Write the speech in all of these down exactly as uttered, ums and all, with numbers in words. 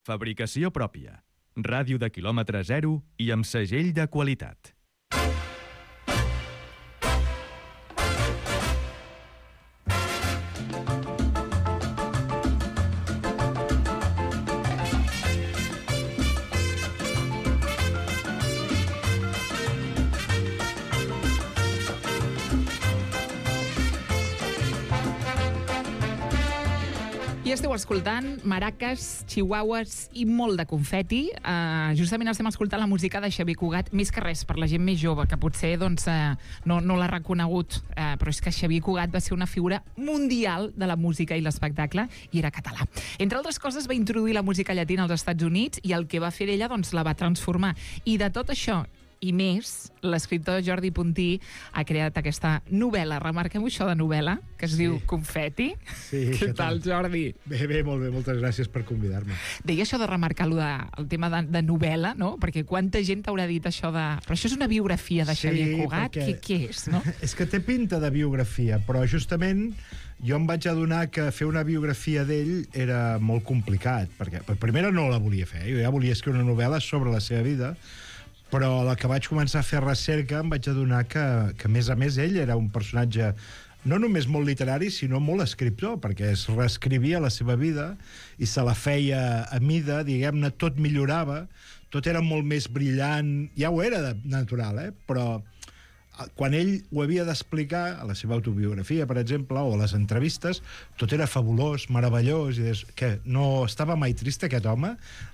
Fabricació pròpia. Ràdio de quilòmetre zero i amb segell de qualitat. I esteu escoltant maraques, chihuahuas i molt de confeti. Uh, justament estem escoltant la música de Xavier Cugat, més que res per la gent més jove, que potser doncs, uh, no, no l'ha reconegut, uh, però és que Xavier Cugat va ser una figura mundial de la música i l'espectacle, i era català. Entre altres coses, va introduir la música llatina als Estats Units, i el que va fer ella doncs, la va transformar. I de tot això i més, l'escriptor Jordi Puntí ha creat aquesta novel·la. Remarquem això de novel·la, que es sí. diu Confeti. Sí, Què tal, Jordi? Bé, bé, molt bé, moltes gràcies per convidar-me. Deia això de remarcar-lo de, el tema de, de novel·la, no? Perquè quanta gent t'haurà dit això de... Però això és una biografia de Xavier sí, Cugat? Perquè... Què, què és, no? És que té pinta de biografia, però justament jo em vaig adonar que fer una biografia d'ell era molt complicat, perquè per primera no la volia fer, jo ja volia escriure una novel·la sobre la seva vida, però a la que vaig començar a fer recerca em vaig adonar que, que a més a més, ell era un personatge no només molt literari, sinó molt escriptor, perquè es reescrivia la seva vida i se la feia a mida, diguem-ne, tot millorava, tot era molt més brillant, ja ho era de natural, eh? Però quan ell ho havia d'explicar a la seva autobiografia, per exemple, o a les entrevistes, tot era fabulós, meravellós, i des... que no estava mai trist aquest home,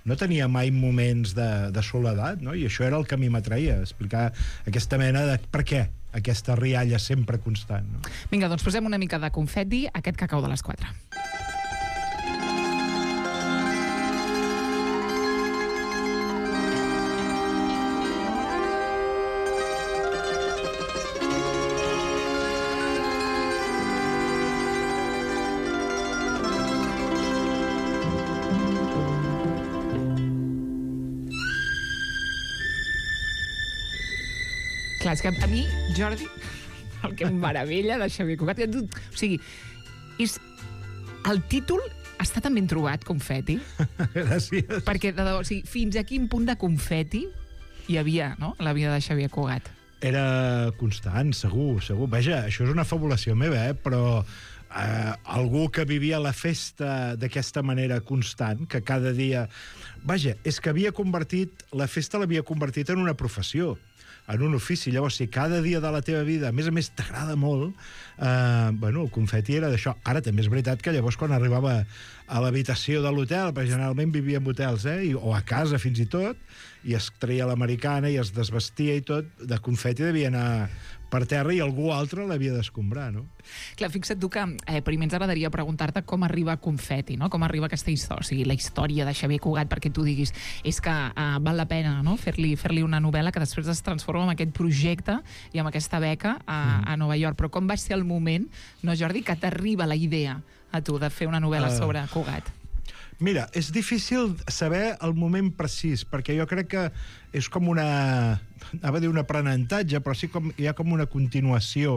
no tenia mai moments de, de soledat, no? I això era el que a mi m'atraïa, explicar aquesta mena de per què aquesta rialla sempre constant, no? Vinga, doncs posem una mica de confeti, aquest cacau de les quatre. Clar, és que a mi, Jordi, el que em meravella de Xavier Cugat, o sigui, és el títol està tan ben trobat, Confeti. Gràcies. Perquè, de, o sigui, fins a quin punt de confeti hi havia, no?, la vida de Xavier Cugat. Era constant, segur, segur. Vaja, això és una fabulació meva, eh? Però eh, algú que vivia la festa d'aquesta manera constant, que cada dia... Vaja, és que havia convertit... La festa l'havia convertit en una professió, en un ofici. Llavors, si cada dia de la teva vida, a més a més, t'agrada molt, eh, bueno, el confeti era d'això. Ara també és veritat que llavors quan arribava a l'habitació de l'hotel, perquè generalment vivia en hotels, eh, I, o a casa fins i tot, i es treia l'americana i es desvestia i tot, de confeti devia anar per terra i algú altre l'havia d'escombrar, no? Clar, fixa't tu que eh, primer ens agradaria preguntar-te com arriba Confeti, no? Com arriba aquesta història, o sigui, la història de Xavier Cugat, perquè tu diguis és que eh, val la pena, no?, fer-li fer-li una novel·la que després es transforma en aquest projecte i amb aquesta beca a, mm. a Nova York. Però com va ser el moment, no, Jordi, que t'arriba la idea a tu de fer una novel·la uh... sobre Cugat? Mira, és difícil saber el moment precís, perquè jo crec que és com una... anava a dir un aprenentatge, però sí com hi ha com una continuació.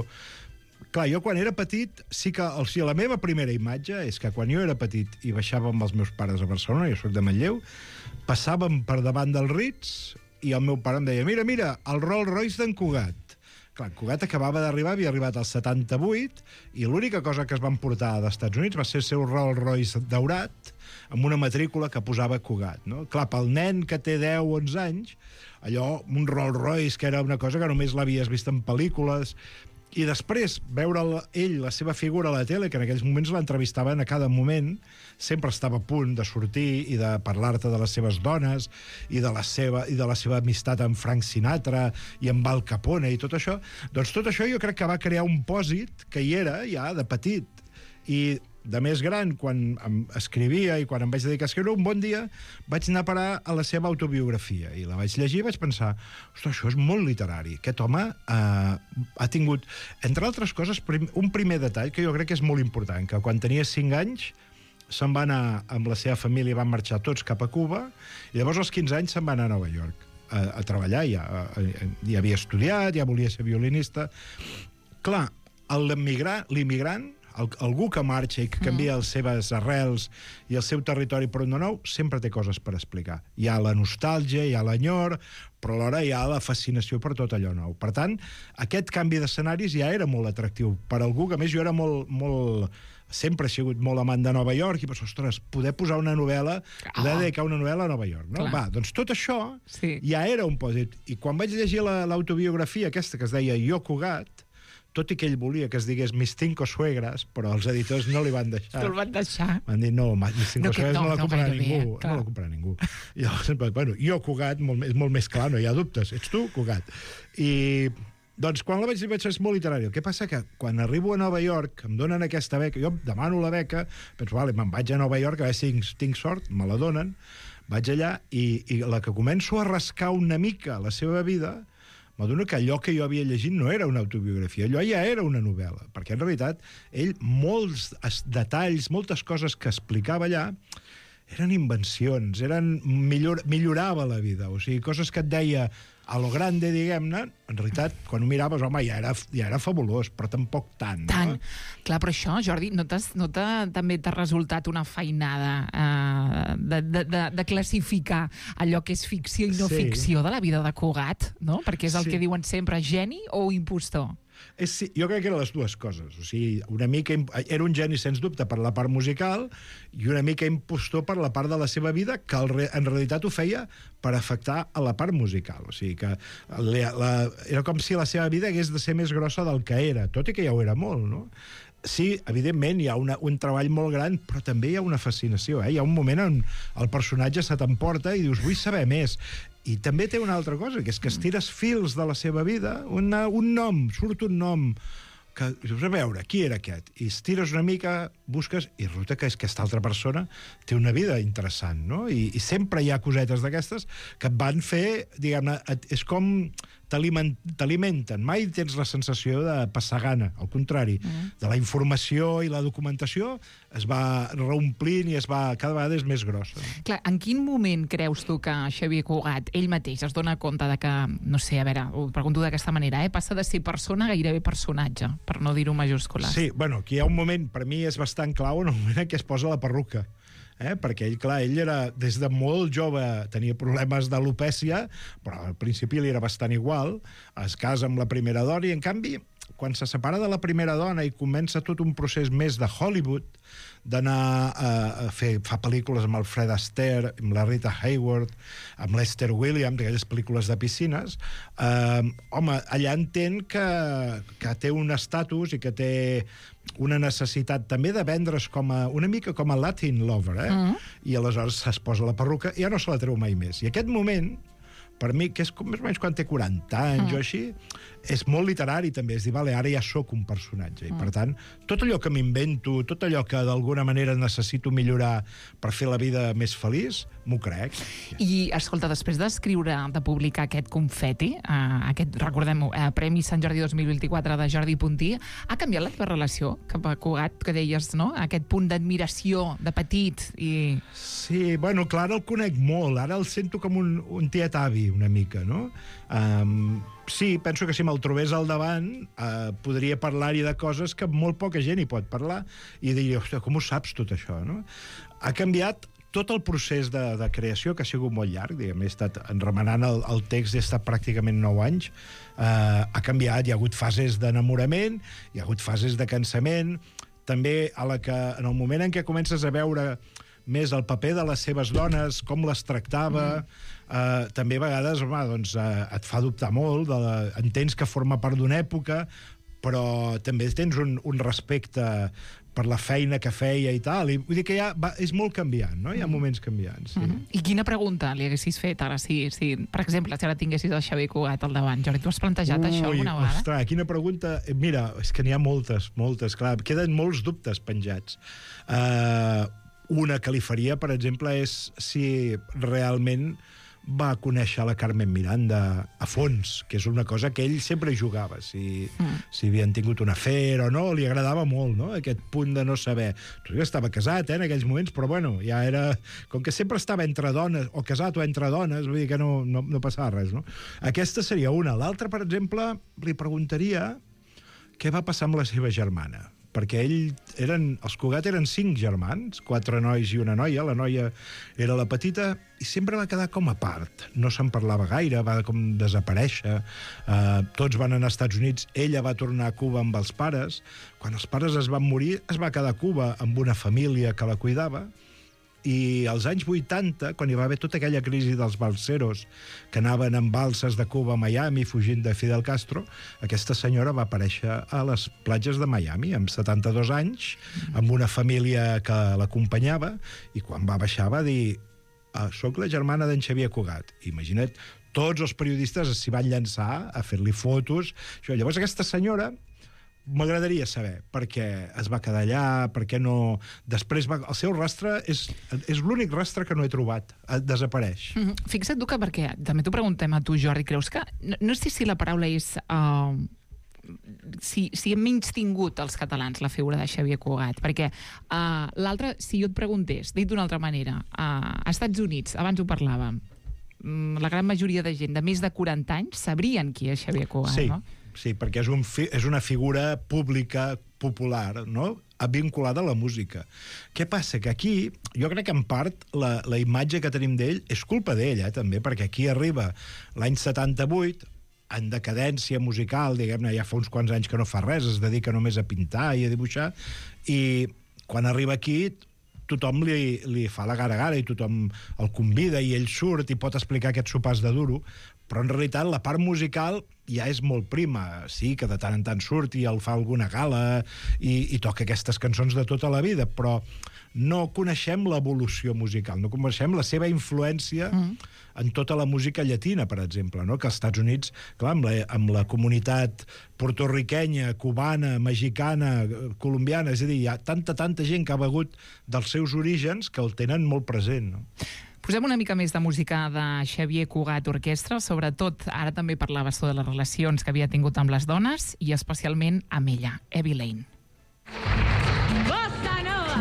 Clar, jo quan era petit, sí que... O sigui, la meva primera imatge és que quan jo era petit i baixava amb els meus pares a Barcelona, jo soc de Manlleu, passàvem per davant del Ritz i el meu pare em deia, mira, mira, el Rolls Royce d'en Cugat. Clar, Cugat acabava d'arribar, havia arribat al setanta-vuit, i l'única cosa que es van portar als Estats Units va ser el seu Rolls Royce daurat, amb una matrícula que posava Cugat, no? Clar, pel nen que té deu o onze anys, allò, un Rolls Royce, que era una cosa que només l'havies vist en pel·lícules, i després veure ell, la seva figura a la tele, que en aquells moments l'entrevistaven a cada moment, sempre estava a punt de sortir i de parlar-te de les seves dones i de la seva, i de la seva amistat amb Frank Sinatra i amb Al Capone i tot això. Doncs tot això jo crec que va crear un pòsit que hi era ja de petit. I de més gran, quan em escrivia i quan em vaig dedicar a escriure, un bon dia vaig anar a parar a la seva autobiografia i la vaig llegir i vaig pensar, ostres, això és molt literari. Aquest home eh, ha tingut, entre altres coses, prim, un primer detall que jo crec que és molt important, que quan tenia cinc anys se'n va anar amb la seva família, van marxar tots cap a Cuba, i llavors als quinze anys se'n va anar a Nova York a, a treballar, ja, a, a, ja havia estudiat, ja volia ser violinista. Clar, l'immigrant el, algú que marxa i que canvia les seves arrels i el seu territori per un de nou, sempre té coses per explicar. Hi ha la nostàlgia, hi ha l'enyor, però alhora hi ha la fascinació per tot allò nou. Per tant, aquest canvi d'escenaris ja era molt atractiu per algú que, a més, jo era molt... molt sempre he sigut molt amant de Nova York i penso, ostres, poder posar una novel·la, poder dedicar una novel·la a Nova York, no? Clar. Va, doncs tot això Sí. ja era un pòsit. I quan vaig llegir la- l'autobiografia aquesta que es deia Jo Cugat, tot i que ell volia que es digués Mis cinco suegras, però els editors no li van deixar. Tu el van deixar. Van dir, no, ma- Mis cinco No, que suegras no, no, la no comprarà gaire bé, ningú. clar. No la comprarà ningú. I llavors, bueno, Jo Cugat molt, més- és molt més clar, no hi ha dubtes. Ets tu, Cugat. I... Doncs quan la vaig dir vaig ser molt literari. El que passa que quan arribo a Nova York, em donen aquesta beca, jo demano la beca, penso, vale, me'n vaig a Nova York, a veure si tinc, tinc sort, me la donen, vaig allà i, i la que començo a rascar una mica la seva vida, m'adono que allò que jo havia llegit no era una autobiografia, allò ja era una novel·la, perquè en realitat ell molts es- detalls, moltes coses que explicava allà, eren invencions, eren millor, millorava la vida, o sigui, coses que et deia a lo grande, diguem-ne, en realitat, quan ho miraves, home, ja era, ja era fabulós, però tampoc tant. Tant. No? Clar, però això, Jordi, no, t'has, no t'ha, també t'ha resultat una feinada eh, de, de, de, de classificar allò que és ficció i no Sí. ficció de la vida de Cugat, no? Perquè és el Sí. que diuen sempre, geni o impostor? És, sí, jo crec que eren les dues coses. O sigui, una mica imp- era un geni, sens dubte, per la part musical i una mica impostor per la part de la seva vida, que el re, en realitat ho feia per afectar a la part musical. O sigui, que la, la, era com si la seva vida hagués de ser més grossa del que era, tot i que ja ho era molt, no? Sí, evidentment, hi ha una, un treball molt gran, però també hi ha una fascinació. Eh? Hi ha un moment on el personatge se t'emporta i dius, vull saber més. I també té una altra cosa, que és que estires fils de la seva vida, una, un nom, surt un nom, que dius, a veure, qui era aquest? I estires una mica, busques, i resulta que és que aquesta altra persona té una vida interessant, no? I, i sempre hi ha cosetes d'aquestes que et van fer, diguem-ne, et- és com t'aliment- t'alimenten. Mai tens la sensació de passar gana, al contrari. Mm. De la informació i la documentació es va reomplint i es va, cada vegada és més grossa. Clar, en quin moment creus tu que Xavier Cugat, ell mateix, es dona compte de que, no sé, a veure, ho pregunto d'aquesta manera, eh, passa de ser persona a gairebé personatge, per no dir-ho majúscules? Sí, bueno, aquí hi ha un moment, per mi és bastant clau, en el moment en què es posa la perruca. Eh? Perquè ell, clar, ell era, des de molt jove, tenia problemes d'alopècia, però al principi li era bastant igual, es casa amb la primera dona, i en canvi, quan se separa de la primera dona i comença tot un procés més de Hollywood, d'anar a, a fer, fa pel·lícules amb el Fred Astaire, amb la Rita Hayworth, amb l'Esther Williams, aquelles pel·lícules de piscines, eh, home, allà entén que, que té un estatus i que té una necessitat també de vendre's com a, una mica com a Latin lover, eh? Mm. I aleshores es posa la perruca i ja no se la treu mai més. I aquest moment, per mi, que és com més o menys quan té quaranta anys mm. o així, és molt literari també, és dir, vale, ara ja sóc un personatge, mm. i per tant, tot allò que m'invento, tot allò que d'alguna manera necessito millorar per fer la vida més feliç, m'ho crec. I, escolta, després d'escriure, de publicar aquest confeti, eh, aquest, recordem-ho, eh, Premi Sant Jordi dos mil vint-i-quatre de Jordi Puntí, ha canviat la teva relació cap a Cugat, que deies, no?, aquest punt d'admiració de petit i... Sí, bueno, clar, ara el conec molt, ara el sento com un, un tiet avi, una mica, no? Um, sí, penso que si me'l trobés al davant uh, podria parlar-hi de coses que molt poca gent hi pot parlar i dir, ostres, com ho saps tot això, no? Ha canviat tot el procés de, de creació, que ha sigut molt llarg, diguem, he estat remenant el, el text, he estat pràcticament nou anys, uh, ha canviat, hi ha hagut fases d'enamorament, hi ha hagut fases de cansament, també a la que, en el moment en què comences a veure més el paper de les seves dones, com les tractava, mm. eh, també a vegades home, doncs, eh, et fa dubtar molt, de la, entens que forma part d'una època, però també tens un, un respecte per la feina que feia i tal, i vull dir que ja va, és molt canviant, no? Hi ha moments canviants. Sí. Mm -hmm. I quina pregunta li haguessis fet ara, si, si, per exemple, si ara tinguessis el Xavier Cugat al davant? Jordi, tu has plantejat Ui, això alguna vegada? Ostres, quina pregunta. Mira, és que n'hi ha moltes, moltes, clar, queden molts dubtes penjats. Uh, una que li faria, per exemple, és si realment va conèixer la Carmen Miranda a fons, que és una cosa que ell sempre jugava, si, mm. si havien tingut un afer o no, li agradava molt, no?, aquest punt de no saber. Tu ja estava casat, eh, en aquells moments, però bueno, ja era... Com que sempre estava entre dones, o casat o entre dones, vull dir que no, no, no passava res, no? Aquesta seria una. L'altra, per exemple, li preguntaria què va passar amb la seva germana, perquè ell eren, els Cugat eren cinc germans, quatre nois i una noia, la noia era la petita, i sempre va quedar com a part. No se'n parlava gaire, va com desaparèixer. Uh, tots van anar als Estats Units, ella va tornar a Cuba amb els pares. Quan els pares es van morir, es va quedar a Cuba amb una família que la cuidava, i als anys vuitanta, quan hi va haver tota aquella crisi dels balseros que anaven amb balses de Cuba a Miami fugint de Fidel Castro, aquesta senyora va aparèixer a les platges de Miami amb setanta-dos anys, amb una família que l'acompanyava, i quan va baixar va dir: ah, soc la germana d'en Xavier Cugat. Imagina't, tots els periodistes s'hi van llançar a fer-li fotos. Això. Llavors aquesta senyora, m'agradaria saber per què es va quedar allà, per què no... Després va... El seu rastre és, és l'únic rastre que no he trobat. Desapareix. Mm -hmm. Fixa't tu que, perquè també t'ho preguntem a tu, Jordi, creus que... No, no sé si la paraula és... Uh, si, si hem menys tingut els catalans la figura de Xavier Cugat, perquè uh, l'altre, si jo et preguntés, dit d'una altra manera, uh, als Estats Units, abans ho parlàvem, la gran majoria de gent de més de quaranta anys sabrien qui és Xavier Cugat, sí. no? Sí, perquè és, un fi, és una figura pública, popular, no?, vinculada a la música. Què passa? Que aquí, jo crec que en part la, la imatge que tenim d'ell és culpa d'ell, eh, també, perquè aquí arriba l'any setanta-vuit, en decadència musical, diguem-ne, ja fa uns quants anys que no fa res, es dedica només a pintar i a dibuixar, i quan arriba aquí tothom li, li fa la gara-gara i tothom el convida i ell surt i pot explicar aquests sopars de duro, però en realitat la part musical ja és molt prima. Sí, que de tant en tant surt i el fa alguna gala i, i toca aquestes cançons de tota la vida, però no coneixem l'evolució musical, no coneixem la seva influència mm. en tota la música llatina, per exemple, no? Que als Estats Units, clar, amb la, amb la comunitat portorriquenya, cubana, mexicana, colombiana, és a dir, hi ha tanta, tanta gent que ha begut dels seus orígens que el tenen molt present, no? Posem una mica més de música de Xavier Cugat Orquestra, sobretot, ara també parlaves de les relacions que havia tingut amb les dones, i especialment amb ella, Evie Lane. Bossa Nova!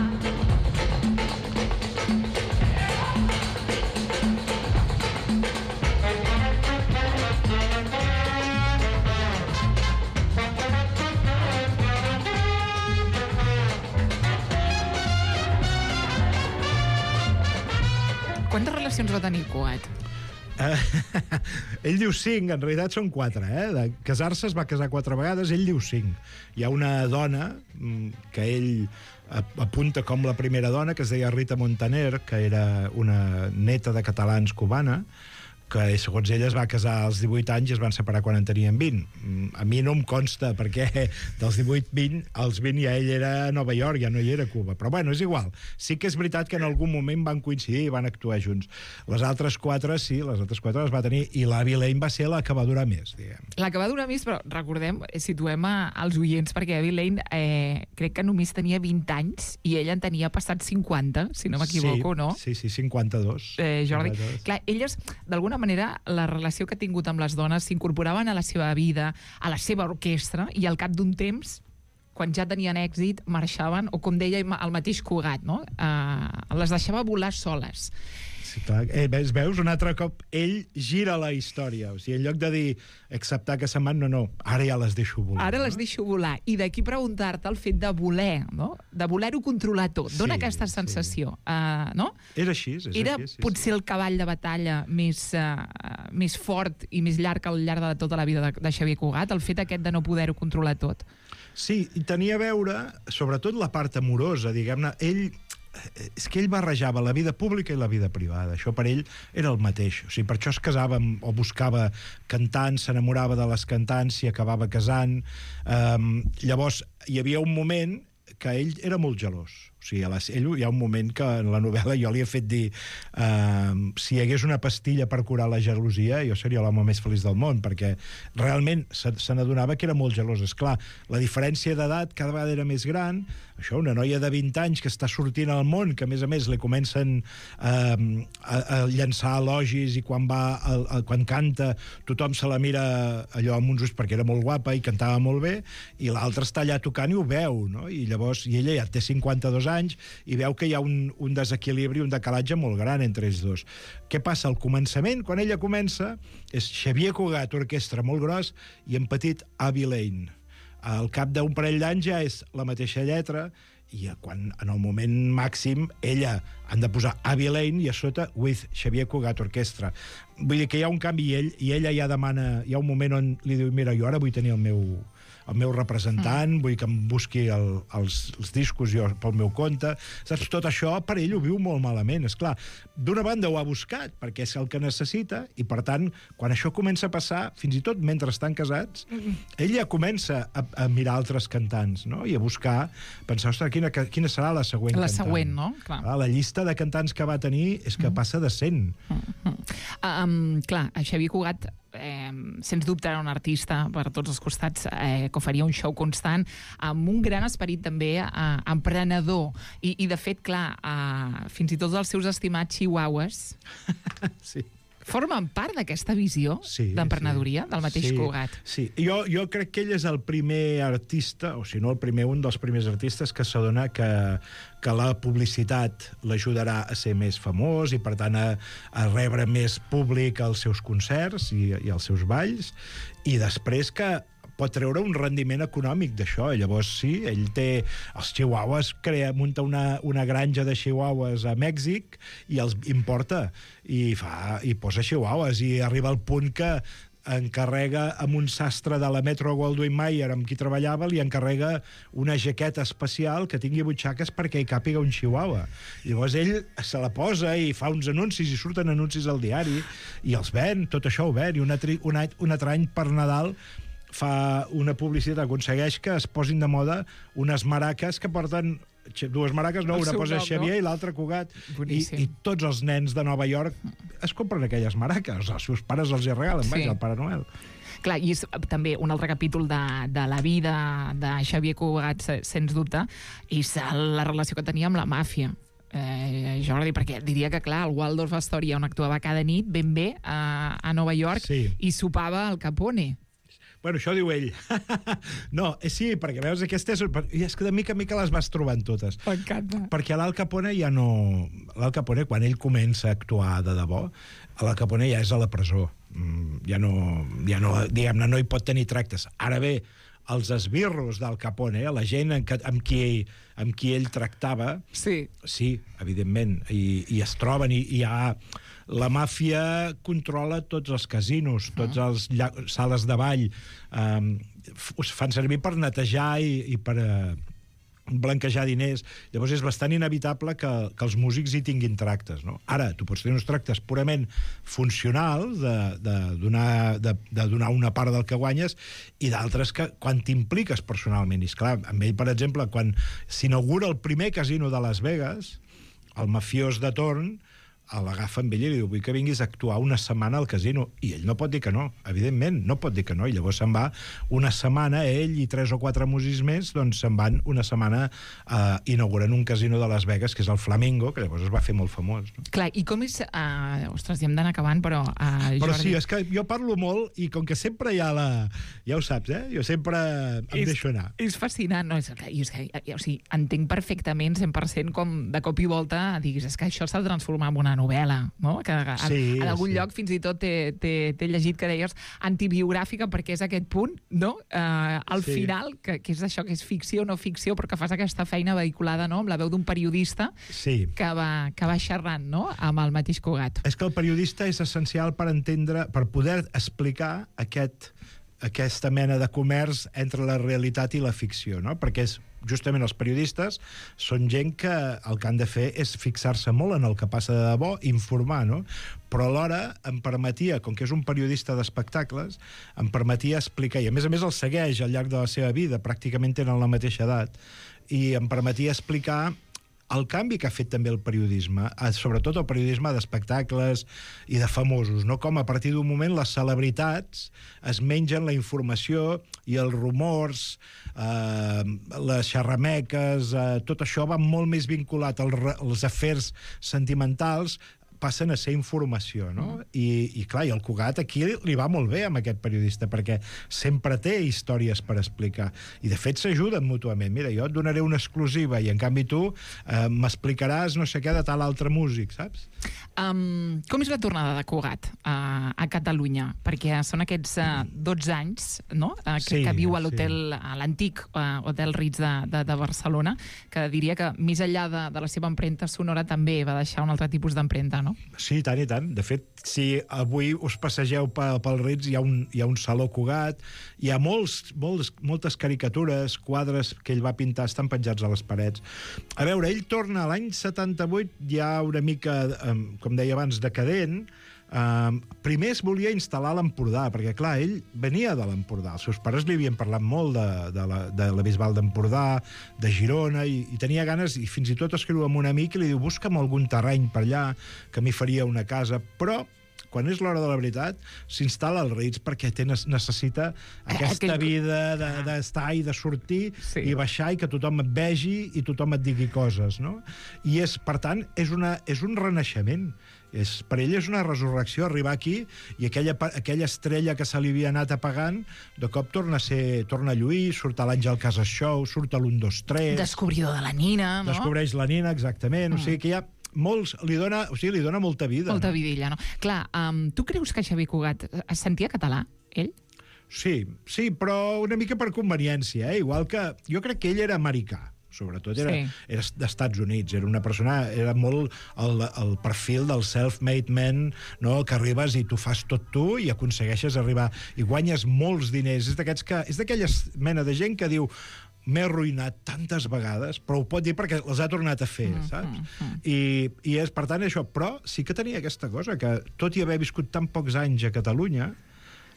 Quantes relacions va tenir Cugat? Uh, ell diu cinc, en realitat són quatre, eh? De casar-se es va casar quatre vegades, ell diu cinc. Hi ha una dona que ell apunta com la primera dona, que es deia Rita Montaner, que era una neta de catalans cubana, que segons ella es va casar als divuit anys i es van separar quan en tenien vint. A mi no em consta, perquè dels divuit vint, als vint ja ell era a Nova York, ja no hi era a Cuba. Però bueno, és igual. Sí que és veritat que en algun moment van coincidir i van actuar junts. Les altres quatre, sí, les altres quatre les va tenir, i l'Evie Lane va ser la que va durar més, diguem. La que va durar més, però recordem, situem als oients, perquè Evie Lane eh, crec que només tenia vint anys i ella en tenia passat cinquanta, si no m'equivoco, sí, no? Sí, sí, cinquanta-dos. Eh, Jordi, cinquanta-dos. Clar, elles, d'alguna manera, la relació que ha tingut amb les dones s'incorporaven a la seva vida, a la seva orquestra, i al cap d'un temps, quan ja tenien èxit, marxaven, o com deia el mateix Cugat, no? Uh, les deixava volar soles. Sí, clar. Eh, veus, veus, un altre cop ell gira la història. O sigui, en lloc de dir acceptar que se'n van, no, no, ara ja les deixo volar. Ara no? les deixo volar. I d'aquí preguntar-te el fet de voler, no? De voler-ho controlar tot. Dóna sí, aquesta sensació, sí. uh, no? És així, és Era així. Sí, potser sí. el cavall de batalla més, uh, més fort i més llarg al llarg de tota la vida de, de Xavier Cugat, el fet aquest de no poder-ho controlar tot. Sí, i tenia a veure, sobretot la part amorosa, diguem-ne, ell... és que ell barrejava la vida pública i la vida privada. Això per ell era el mateix. O sigui, per això es casava amb, o buscava cantants, s'enamorava de les cantants, s'hi acabava casant. Um, llavors, hi havia un moment que ell era molt gelós. O sigui, a la, ell, hi ha un moment que en la novel·la jo li he fet dir uh, si hi hagués una pastilla per curar la gelosia, jo seria l'home més feliç del món, perquè realment se, se n'adonava que era molt gelós. Esclar, la diferència d'edat cada vegada era més gran. Això, una noia de vint anys que està sortint al món, que a més a més li comencen uh, a, a llançar elogis, i quan va a, a, quan canta tothom se la mira allò amb uns ulls perquè era molt guapa i cantava molt bé, i l'altre està allà tocant i ho veu, no? I llavors, i ella ja té cinquanta-dos anys i veu que hi ha un, un desequilibri, un decalatge molt gran entre ells dos. Què passa? Al començament, quan ella comença, és Xavier Cugat, orquestra molt gros, i en petit Evie Lane. al cap d'un parell d'anys ja és la mateixa lletra, i quan en el moment màxim ella han de posar Avi Lane i a sota with Xavier Cugat Orquestra. Vull dir que hi ha un canvi i, ell, i ella ja demana, hi ha un moment on li diu, mira, jo ara vull tenir el meu, el meu representant, mm. vull que em busqui el, els, els discos jo pel meu compte. Saps? Tot això per ell ho viu molt malament. És clar, d'una banda ho ha buscat perquè és el que necessita i, per tant, quan això comença a passar, fins i tot mentre estan casats, mm. ell ja comença a, a mirar altres cantants, no? I a buscar, pensar, ostres, quina, quina serà la següent la cantant? La següent, no? Clar. Ah, la llista de cantants que va tenir és que mm. passa de cent. Mm. Um, clar, Xavier Cugat Eh, sens dubte era un artista per tots els costats, eh, que faria un show constant amb un gran esperit també eh, emprenedor i, i de fet, clar, eh, fins i tot els seus estimats chihuahuas sí. formen part d'aquesta visió sí, d'emprenedoria sí. del mateix sí, Cugat. Sí, jo, jo crec que ell és el primer artista, o si no el primer, un dels primers artistes que s'adona que, que la publicitat l'ajudarà a ser més famós i, per tant, a, a rebre més públic als seus concerts i, i als seus balls, i després que pot treure un rendiment econòmic d'això. Llavors, sí, ell té els chihuahuas, crea, munta una, una granja de chihuahuas a Mèxic i els importa, i, fa, i posa chihuahuas, i arriba al punt que encarrega amb un sastre de la Metro Goldwyn Mayer amb qui treballava, li encarrega una jaqueta especial que tingui butxaques perquè hi càpiga un chihuahua. Llavors ell se la posa i fa uns anuncis i surten anuncis al diari i els ven, tot això ho ven, i un altre, un, un altre any per Nadal fa una publicitat, aconsegueix que es posin de moda unes maraques que porten dues maraques, no, el una posa nom, Xavier no? i l'altra Cugat, i, i tots els nens de Nova York es compren aquelles maraques, els seus pares els hi regalen, sí. Vaja, el Pare Noel. Clar, i és també un altre capítol de, de la vida de Xavier Cugat, sens dubte, és la relació que tenia amb la màfia. Eh, Jordi, perquè diria que, clar, el Waldorf Astoria, on actuava cada nit, ben bé, a, a Nova York, sí. I sopava al Capone. Bueno, això diu ell. No, sí, perquè veus, aquesta és... I és que de mica en mica les vas trobant totes. M'encanta. Perquè l'Al Capone ja no... L'Al Capone, quan ell comença a actuar de debò, l'Al Capone ja és a la presó. Ja no... Ja no, diguem-ne, no hi pot tenir tractes. Ara bé, els esbirros d'Al Capone, la gent amb, amb, qui, amb qui ell tractava... Sí. Sí, evidentment. I, i es troben, i hi ha... La màfia controla tots els casinos, tots els sales de ball, um, us fan servir per netejar i, i per uh, blanquejar diners. Llavors és bastant inevitable que, que els músics hi tinguin tractes, no? Ara, tu pots tenir uns tractes purament funcionals de, de, donar, de, de donar una part del que guanyes, i d'altres que quan t'impliques personalment. I esclar, amb ell, per exemple, quan s'inaugura el primer casino de Las Vegas, el mafiós de torn l'agafa amb ell i li diu, vull que vinguis a actuar una setmana al casino, i ell no pot dir que no, evidentment, no pot dir que no, i llavors se'n va una setmana, ell i tres o quatre músics més, doncs se'n van una setmana uh, inaugurant un casino de Las Vegas, que és el Flamingo, que llavors es va fer molt famós. No? Clar, i com és... Uh, ostres, ja hem d'anar acabant, però... Uh, però Jordi... sí, és que jo parlo molt, i com que sempre hi ha la... Ja ho saps, eh? Jo sempre em és, deixo anar. És fascinant, no? És que, és que, o sigui, entenc perfectament, cent per cent, com de cop i volta diguis, és que això s'ha de transformar en una novel·la, no? Que en, sí, en algun sí. lloc fins i tot t'he llegit que deies antibiogràfica, perquè és aquest punt, no? Uh, al sí. final, que, que és això, que és ficció o no ficció, però que fas aquesta feina vehiculada, no? Amb la veu d'un periodista sí. que, va, que va xerrant, no? Amb el mateix Cugat. És que el periodista és essencial per entendre, per poder explicar aquest, aquesta mena de comerç entre la realitat i la ficció, no? Perquè és justament els periodistes són gent que el que han de fer és fixar-se molt en el que passa de debò, informar, no? Però alhora em permetia, com que és un periodista d'espectacles, em permetia explicar, i a més a més el segueix al llarg de la seva vida, pràcticament tenen la mateixa edat, i em permetia explicar el canvi que ha fet també el periodisme, sobretot el periodisme d'espectacles i de famosos, no? Com a partir d'un moment les celebritats es mengen la informació i els rumors, eh, les xerrameques, eh, tot això va molt més vinculat als, als afers sentimentals, passen a ser informació, no? Mm. I, I clar, i el Cugat aquí li va molt bé amb aquest periodista, perquè sempre té històries per explicar. I de fet s'ajuden mútuament. Mira, jo et donaré una exclusiva i en canvi tu eh, m'explicaràs no sé què de tal altre músic, saps? Um, com és la tornada de Cugat uh, a Catalunya? Perquè són aquests uh, dotze anys, no? Uh, que, sí, que viu a l'hotel, sí. a l'antic uh, Hotel Ritz de, de, de Barcelona, que diria que més enllà de, de la seva empremta sonora també va deixar un altre tipus d'empremta, no? Sí, tant i tant. De fet, si avui us passegeu pel, pel Ritz, hi ha, un, hi ha un saló Cugat, hi ha molts, molts, moltes caricatures, quadres que ell va pintar, estan penjats a les parets. A veure, ell torna a l'any setanta-vuit, ja una mica, com deia abans, decadent. Uh, primer es volia instal·lar a l'Empordà, perquè, clar, ell venia de l'Empordà. Els seus pares li havien parlat molt de, de, la, de la Bisbal d'Empordà, de Girona, i, i tenia ganes, i fins i tot escriu amb un amic i li diu, busca'm algun terreny per allà, que m'hi faria una casa. Però quan és l'hora de la veritat, s'instal·la al Ritz perquè té, necessita aquesta vida d'estar i de sortir sí. i baixar i que tothom et vegi i tothom et digui coses, no? I és, per tant, és, una, és un renaixement. És, per ell és una resurrecció arribar aquí i aquella, aquella estrella que se li havia anat apagant, de cop torna a ser, torna a lluir, surt a l'Àngel Casas Show, surt a l'un, dos, tres... Descobridor de la Nina, no? Descobreix la Nina, exactament. Mm. O sigui que hi ha molts, li dona, o sigui, li dona molta vida. Molta no? vidilla, no? Clar, um, tu creus que Xavier Cugat es sentia català, ell? Sí, sí, però una mica per conveniència, eh? Igual que... Jo crec que ell era americà. Sobretot era, sí. era d'Estats Units, era una persona, era molt el, el perfil del self-made man, no? Que arribes i tu fas tot tu i aconsegueixes arribar i guanyes molts diners. És d'aquests que, és d'aquella mena de gent que diu m'he arruïnat tantes vegades, però ho pot dir perquè les ha tornat a fer, mm, saps? Mm, mm. I, i és, per tant, això. Però sí que tenia aquesta cosa, que tot i haver viscut tan pocs anys a Catalunya,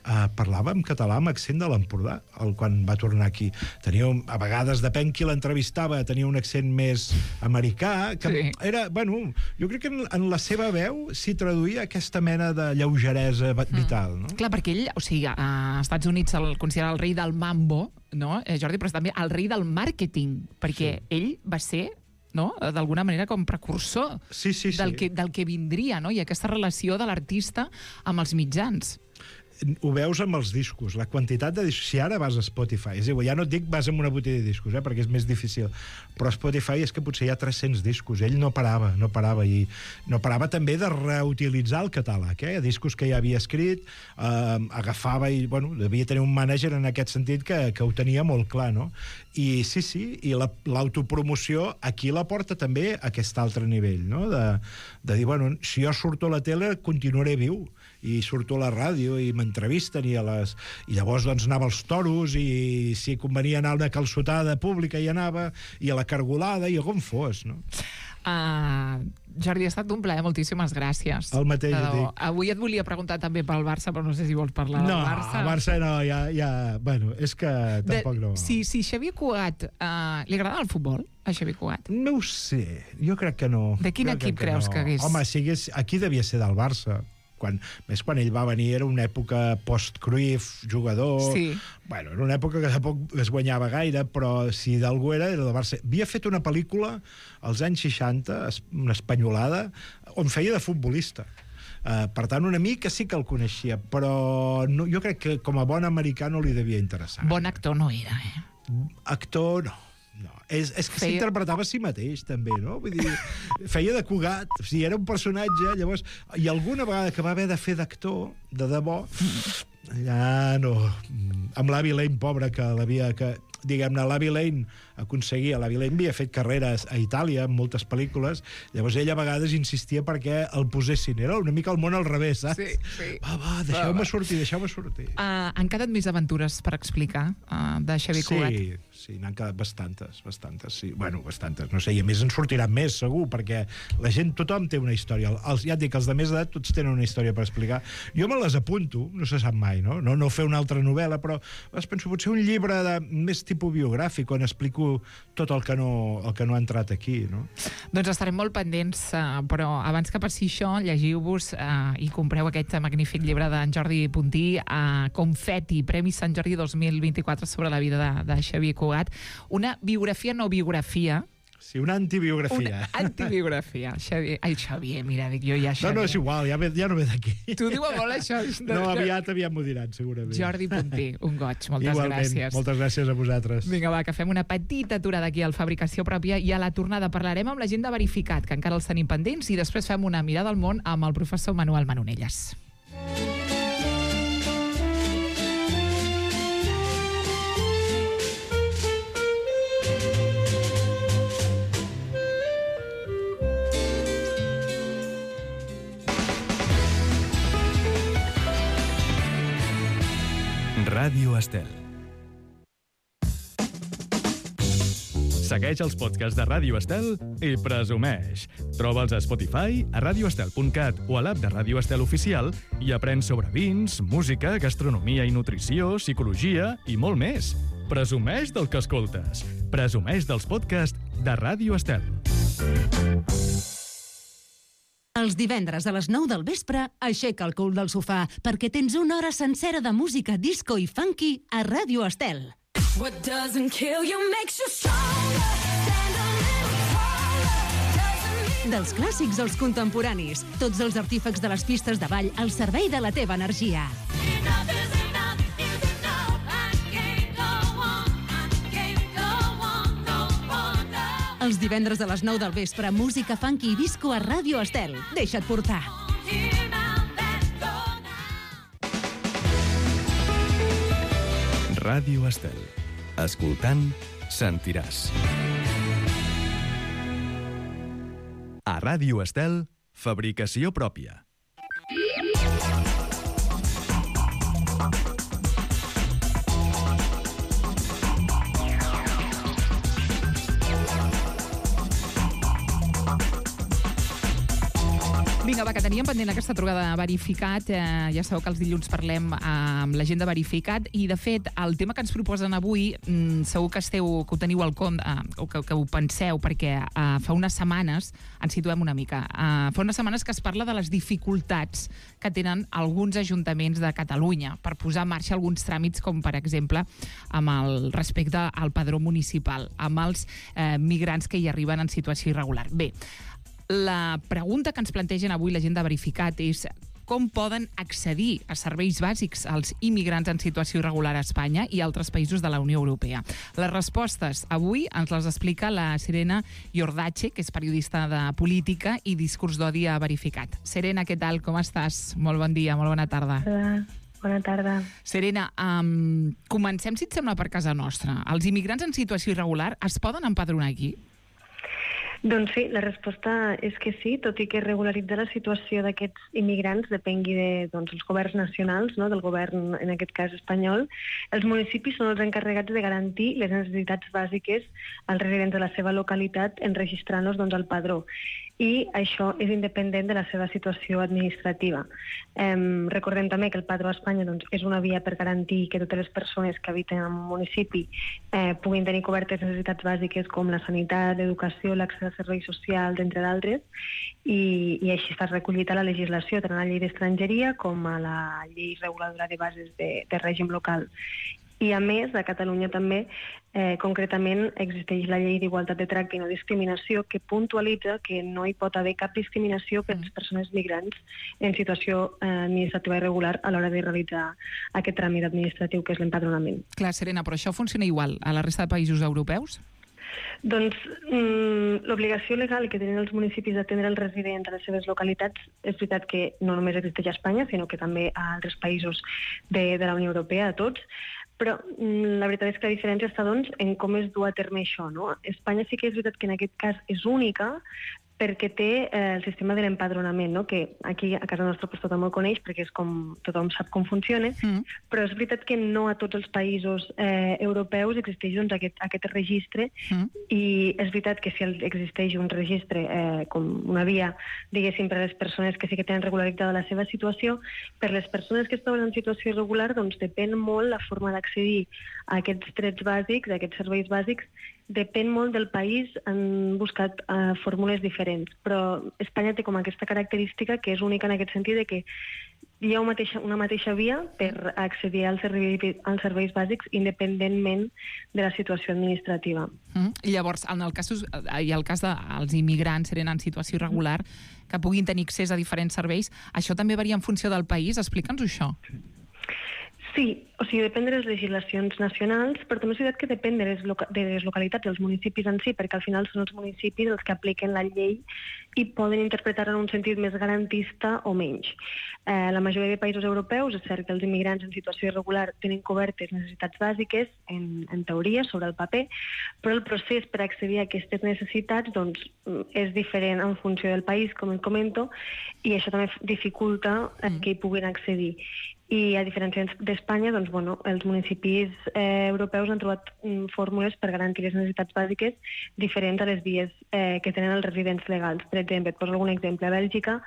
Uh, parlava en català amb accent de l'Empordà quan va tornar aquí. Tenia, a vegades, depèn qui l'entrevistava, tenia un accent més americà, que sí. era, bueno, jo crec que en, en la seva veu s'hi traduïa aquesta mena de lleugeresa vital, no? Mm. Clar, perquè ell, o sigui, a Estats Units el considera el rei del mambo, no, eh, Jordi, però també el rei del màrqueting, perquè sí. ell va ser no? d'alguna manera com precursor sí, sí, sí. Del, que, del que vindria, no? I aquesta relació de l'artista amb els mitjans. Ho veus amb els discos, la quantitat de discos. Si ara vas a Spotify, és igual, ja no et dic vas a una botiga de discos, eh, perquè és més difícil, però a Spotify és que potser hi ha tres-cents discos. Ell no parava, no parava, i no parava també de reutilitzar el catàleg, eh, discos que ja havia escrit, eh, agafava i, bueno, devia tenir un mànager en aquest sentit que, que ho tenia molt clar, no? I sí, sí, i l'autopromoció la, aquí la porta també a aquest altre nivell, no? De, de dir, bueno, si jo surto a la tele, continuaré viu, i surto a la ràdio i m'entrevisten i a les... I llavors doncs anava als toros i si convenia anar a una calçotada pública hi anava, i a la cargolada i a on fos, no? Uh, Jordi, ha estat un plaer, moltíssimes gràcies. El mateix, et dic. Avui et volia preguntar també pel Barça, però no sé si vols parlar no, del Barça. No, el Barça no, ja... ja bueno, és que tampoc de, no... Si, si Xavier Cugat... Uh, li agrada el futbol, a Xavier Cugat? No ho sé, jo crec que no. De quin jo equip que creus no. que hagués? Home, si hagués... aquí devia ser del Barça. Quan, més quan ell va venir era una època post-Cruyff, jugador... Sí. Bueno, era una època que tampoc es guanyava gaire, però si d'algú era, era del Barça. Havia fet una pel·lícula als anys seixanta, una espanyolada, on feia de futbolista. Uh, per tant, una mica sí que el coneixia, però no, jo crec que com a bon americà no li devia interessar. Bon actor no era, eh? Actor, no. No, és, és que feia... s'interpretava a si mateix, també, no? Vull dir, feia de Cugat, o sigui, era un personatge, llavors... I alguna vegada que va haver de fer d'actor, de debò, ja no... Amb l'Avi Lane, pobre, que l'havia... Que, diguem-ne, l'Avi Lane aconseguia... L'Avi Lane havia fet carreres a Itàlia, en moltes pel·lícules, llavors ell a vegades insistia perquè el posessin. Era una mica el món al revés, saps? Sí, sí. Va, va, deixeu-me sortir, deixeu-me sortir. Uh, han quedat més aventures per explicar uh, de Xavier Cugat? Sí, sí, n'han quedat bastantes, bastantes, sí. Bueno, bastantes, no sé, i a més en sortiran més, segur, perquè la gent, tothom té una història. Els, ja et dic, els de més edat tots tenen una història per explicar. Jo me les apunto, no se sap mai, no? No, no fer una altra novel·la, però es penso, potser un llibre de més tipus biogràfic, on explico tot el que no, el que no ha entrat aquí, no? Doncs estarem molt pendents, uh, però abans que passi això, llegiu-vos uh, i compreu aquest magnífic llibre d'en Jordi Puntí, uh, Confeti, Premi Sant Jordi dos mil vint-i-quatre sobre la vida de, de Xavier Cugat. Una biografia no biografia, Sí, una antibiografia. Una antibiografia. Xavier, ai, Xavier, mira, dic jo ja Xavier. No, no, és igual, ja, ve, ja no ve d'aquí. Tu diu molt això. De, no, aviat, aviat m'ho diran, segurament. Jordi Punter, un goig, moltes Igualment, gràcies. Moltes gràcies a vosaltres. Vinga, va, que fem una petita aturada aquí al Fabricació Pròpia i a la tornada parlarem amb la gent de Verificat, que encara els tenim pendents, i després fem una mirada al món amb el professor Manuel Manonelles. Ràdio Estel. Segueix els podcasts de Ràdio Estel i presumeix. Troba'ls a Spotify, a radio estel punt cat o a l'app de Ràdio Estel Oficial i aprèn sobre vins, música, gastronomia i nutrició, psicologia i molt més. Presumeix del que escoltes. Presumeix dels podcasts de Ràdio Estel. Els divendres a les nou del vespre, aixeca el cul del sofà, perquè tens una hora sencera de música disco i funky a Ràdio Estel. What doesn't kill you makes you stronger. Stand a little taller. Doesn't mean... Dels clàssics als contemporanis, tots els artífecs de les pistes de ball al servei de la teva energia. Enough is enough is enough. I can't go on. I can't go on no more now. Els divendres a les nou del vespre, música funky i disco a Ràdio Estel. Deixa't portar. Here now, let's go now. Ràdio Estel. Escoltant, sentiràs. A Ràdio Estel, fabricació pròpia. Vinga, va, que teníem pendent aquesta trobada de Verificat. Eh, ja sabeu que els dilluns parlem amb la gent de Verificat i, de fet, el tema que ens proposen avui mm, segur que esteu, que ho teniu al compte, eh, o que, que ho penseu, perquè eh, fa unes setmanes, ens situem una mica, eh, fa unes setmanes que es parla de les dificultats que tenen alguns ajuntaments de Catalunya per posar en marxa alguns tràmits, com, per exemple, amb el respecte al padró municipal, amb els eh, migrants que hi arriben en situació irregular. Bé, la pregunta que ens plantegen avui la gent de Verificat és com poden accedir a serveis bàsics als immigrants en situació irregular a Espanya i altres països de la Unió Europea. Les respostes avui ens les explica la Serena Iordache, que és periodista de política i discurs d'odi a Verificat. Serena, què tal? Com estàs? Molt bon dia, molt bona tarda. Hola, bona tarda. Serena, um, comencem, si et sembla, per casa nostra. Els immigrants en situació irregular es poden empadronar aquí? Doncs sí, la resposta és que sí, tot i que regularitzar la situació d'aquests immigrants depengui de, doncs, els governs nacionals, no? Del govern, en aquest cas espanyol, els municipis són els encarregats de garantir les necessitats bàsiques als residents de la seva localitat enregistrant-los, doncs, al padró. I això és independent de la seva situació administrativa. Eh, recordem també que el padró a Espanya, doncs, és una via per garantir que totes les persones que habiten en un municipi eh, puguin tenir cobertes necessitats bàsiques com la sanitat, l'educació, l'accés a serveis socials, entre d'altres, i, i així està recollit a la legislació, tant a la llei d'estrangeria com a la llei reguladora de bases de, de règim local. I, a més, a Catalunya també, eh, concretament, existeix la llei d'igualtat de tracte i no discriminació, que puntualitza que no hi pot haver cap discriminació per les persones migrants en situació eh, administrativa irregular a l'hora de realitzar aquest tràmit administratiu, que és l'empadronament. Clar, Serena, però això funciona igual a la resta de països europeus? Doncs mm, l'obligació legal que tenen els municipis d'atendre els residents a les seves localitats és veritat que no només existeix a Espanya, sinó que també a altres països de, de la Unió Europea, a tots, però mm, la veritat és que la diferència està, doncs, en com es du a terme això, no? Espanya sí que és veritat que en aquest cas és única, perquè té eh, el sistema de l'empadronament, no? Que aquí a casa nostra pues, tothom el coneix perquè és com, tothom sap com funciona, mm. però és veritat que no a tots els països eh, europeus existeix doncs, aquest, aquest registre mm. i és veritat que si existeix un registre eh, com una via, diguéssim, per a les persones que sí que tenen regularitzada la seva situació, per les persones que es troben en situació irregular, doncs depèn molt la forma d'accedir a aquests drets bàsics, a aquests serveis bàsics, depèn molt del país, han buscat uh, fórmules diferents, però Espanya té com aquesta característica que és única en aquest sentit de que hi ha una mateixa, una mateixa via per accedir als serveis, als serveis bàsics independentment de la situació administrativa. Mm. Llavors, en el cas, i el cas dels immigrants eren en situació irregular, que puguin tenir accés a diferents serveis, això també varia en funció del país? Explica'ns això. Sí, o sigui, depèn de les legislacions nacionals, però també és veritat que depèn de les, loca de les localitats, dels municipis en si, perquè al final són els municipis els que apliquen la llei i poden interpretar-la en un sentit més garantista o menys. Eh, la majoria de països europeus, és cert que els immigrants en situació irregular tenen cobertes necessitats bàsiques, en, en teoria, sobre el paper, però el procés per accedir a aquestes necessitats doncs, és diferent en funció del país, com et comento, i això també dificulta eh, que hi puguin accedir. I a diferència d'Espanya, doncs, bueno, els municipis eh, europeus han trobat mm, fórmules per garantir les necessitats bàsiques diferents a les vies eh, que tenen els residents legals. Per exemple, et poso algun exemple. A Bèlgica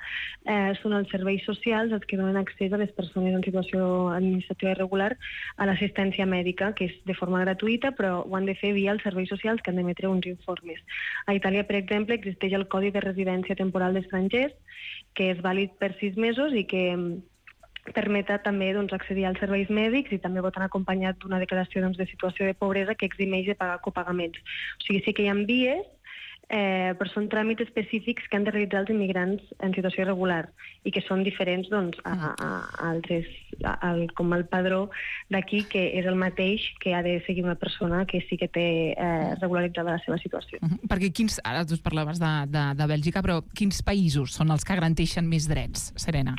eh, són els serveis socials els que donen accés a les persones en situació administrativa irregular a l'assistència mèdica, que és de forma gratuïta, però ho han de fer via els serveis socials que han d'emetre uns informes. A Itàlia, per exemple, existeix el Codi de Residència Temporal d'Estrangers, que és vàlid per sis mesos i que permeta també doncs, accedir als serveis mèdics i també pot anar acompanyat d'una declaració doncs, de situació de pobresa que eximeix de pagar copagaments. O sigui, sí que hi ha vies, eh, però són tràmits específics que han de realitzar els immigrants en situació irregular i que són diferents doncs, a, a, a altres, a, a, com el padró d'aquí, que és el mateix que ha de seguir una persona que sí que té eh, regularitzada la seva situació. Uh -huh. Perquè quins, ara tu parlaves de, de, de Bèlgica, però quins països són els que garanteixen més drets, Serena?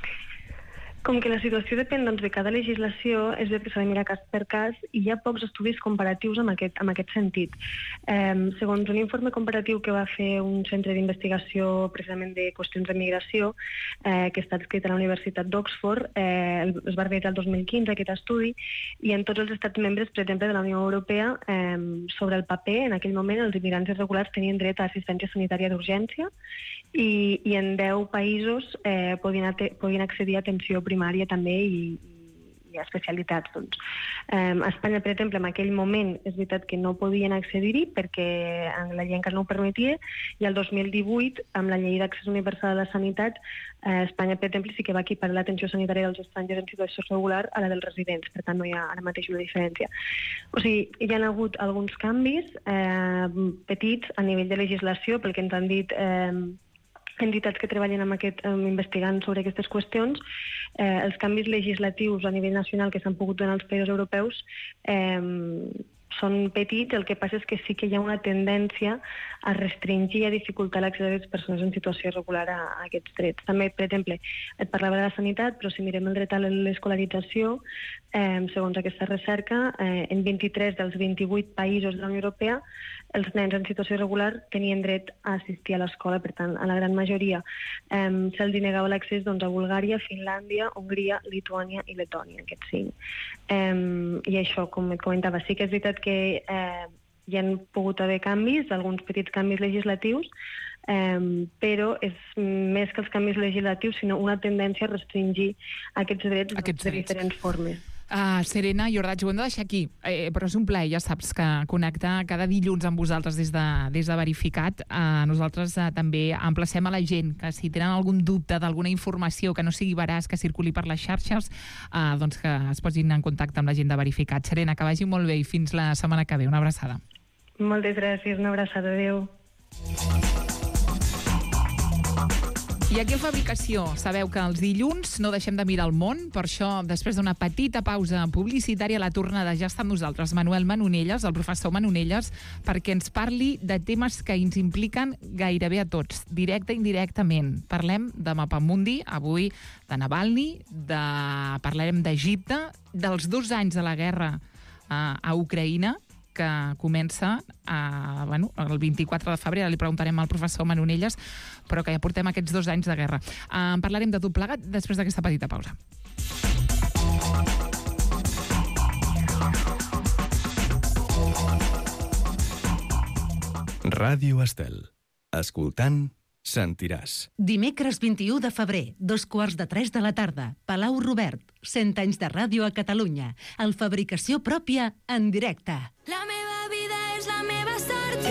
Com que la situació depèn doncs, de cada legislació, és veritat que s'ha de mirar cas per cas i hi ha pocs estudis comparatius en aquest, en aquest sentit. Eh, segons un informe comparatiu que va fer un centre d'investigació precisament de qüestions de migració, eh, que està escrit a la Universitat d'Oxford, eh, es va realitzar el dos mil quinze aquest estudi, i en tots els estats membres, per exemple, de la Unió Europea, eh, sobre el paper, en aquell moment els immigrants irregulars tenien dret a assistència sanitària d'urgència i, i en deu països eh, podien, podien accedir a atenció primària també i, i a especialitats. Doncs. Eh, a Espanya, per exemple, en aquell moment és veritat que no podien accedir-hi perquè la llei encara no ho permetia, i el dos mil divuit, amb la llei d'accés universal a la sanitat, eh, Espanya, per exemple, sí que va equiparar l'atenció sanitària dels estrangers en situació regular a la dels residents, per tant no hi ha ara mateix una diferència. O sigui, hi ha hagut alguns canvis eh, petits a nivell de legislació, pel que ens han dit eh, entitats que treballen amb aquest, um, investigant sobre aquestes qüestions. Eh, els canvis legislatius a nivell nacional que s'han pogut donar als països europeus eh, són petits, el que passa és que sí que hi ha una tendència a restringir i a dificultar l'accés de les persones en situació irregular a, a aquests drets. També, per exemple, et parlava de la sanitat, però si mirem el dret a l'escolarització, eh, segons aquesta recerca, eh, en vint-i-tres dels vint-i-vuit països de la Unió Europea, els nens en situació irregular tenien dret a assistir a l'escola, per tant, a la gran majoria eh, se'ls negava l'accés doncs, a Bulgària, Finlàndia, Hongria, Lituània i Letònia, aquests cinc. Eh, I això, com et comentava, sí que és veritat que eh, hi han pogut haver canvis, alguns petits canvis legislatius, eh, però és més que els canvis legislatius, sinó una tendència a restringir aquests drets, Aquests de drets. diferents formes. Uh, Serena i Ordatge, ho hem de deixar aquí, eh, però és un plaer, ja saps, que connectar cada dilluns amb vosaltres des de, des de Verificat. Uh, nosaltres uh, també emplacem a la gent que si tenen algun dubte d'alguna informació que no sigui veraç, que circuli per les xarxes, uh, doncs que es posin en contacte amb la gent de Verificat. Serena, que vagi molt bé i fins la setmana que ve. Una abraçada. Moltes gràcies, una abraçada, adéu. I aquí a Fabricació, sabeu que els dilluns no deixem de mirar el món, per això, després d'una petita pausa publicitària, la tornada ja està amb nosaltres, Manuel Manonelles, el professor Manonelles, perquè ens parli de temes que ens impliquen gairebé a tots, directe i indirectament. Parlem de Mapamundi, avui de Navalny, de... parlarem d'Egipte, dels dos anys de la guerra a, a Ucraïna, que comença a, bueno, el vint-i-quatre de febrer, ara li preguntarem al professor Manonelles, però que ja portem aquests dos anys de guerra. Uh, en parlarem de tot plegat després d'aquesta petita pausa. Ràdio Estel. Escoltant, sentiràs. Dimecres vint-i-u de febrer, dos quarts de tres de la tarda, Palau Robert, cent anys de ràdio a Catalunya. El Fabricació pròpia en directe. La meva vida és la meva sort.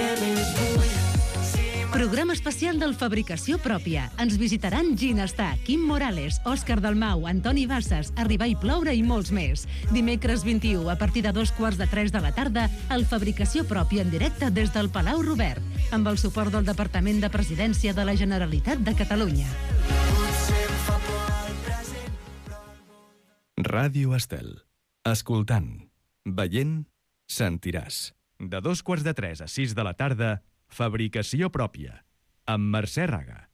Programa especial del Fabricació Pròpia. Ens visitaran Ginestà, Quim Morales, Òscar Dalmau, Antoni Bassas, Arribar i ploure i molts més. Dimecres vint-i-u, a partir de dos quarts de tres de la tarda, el Fabricació Pròpia en directe des del Palau Robert, amb el suport del Departament de Presidència de la Generalitat de Catalunya. Ràdio Estel. Escoltant, veient, sentiràs. De dos quarts de tres a sis de la tarda, Fabricació Pròpia, amb Mercè Raga.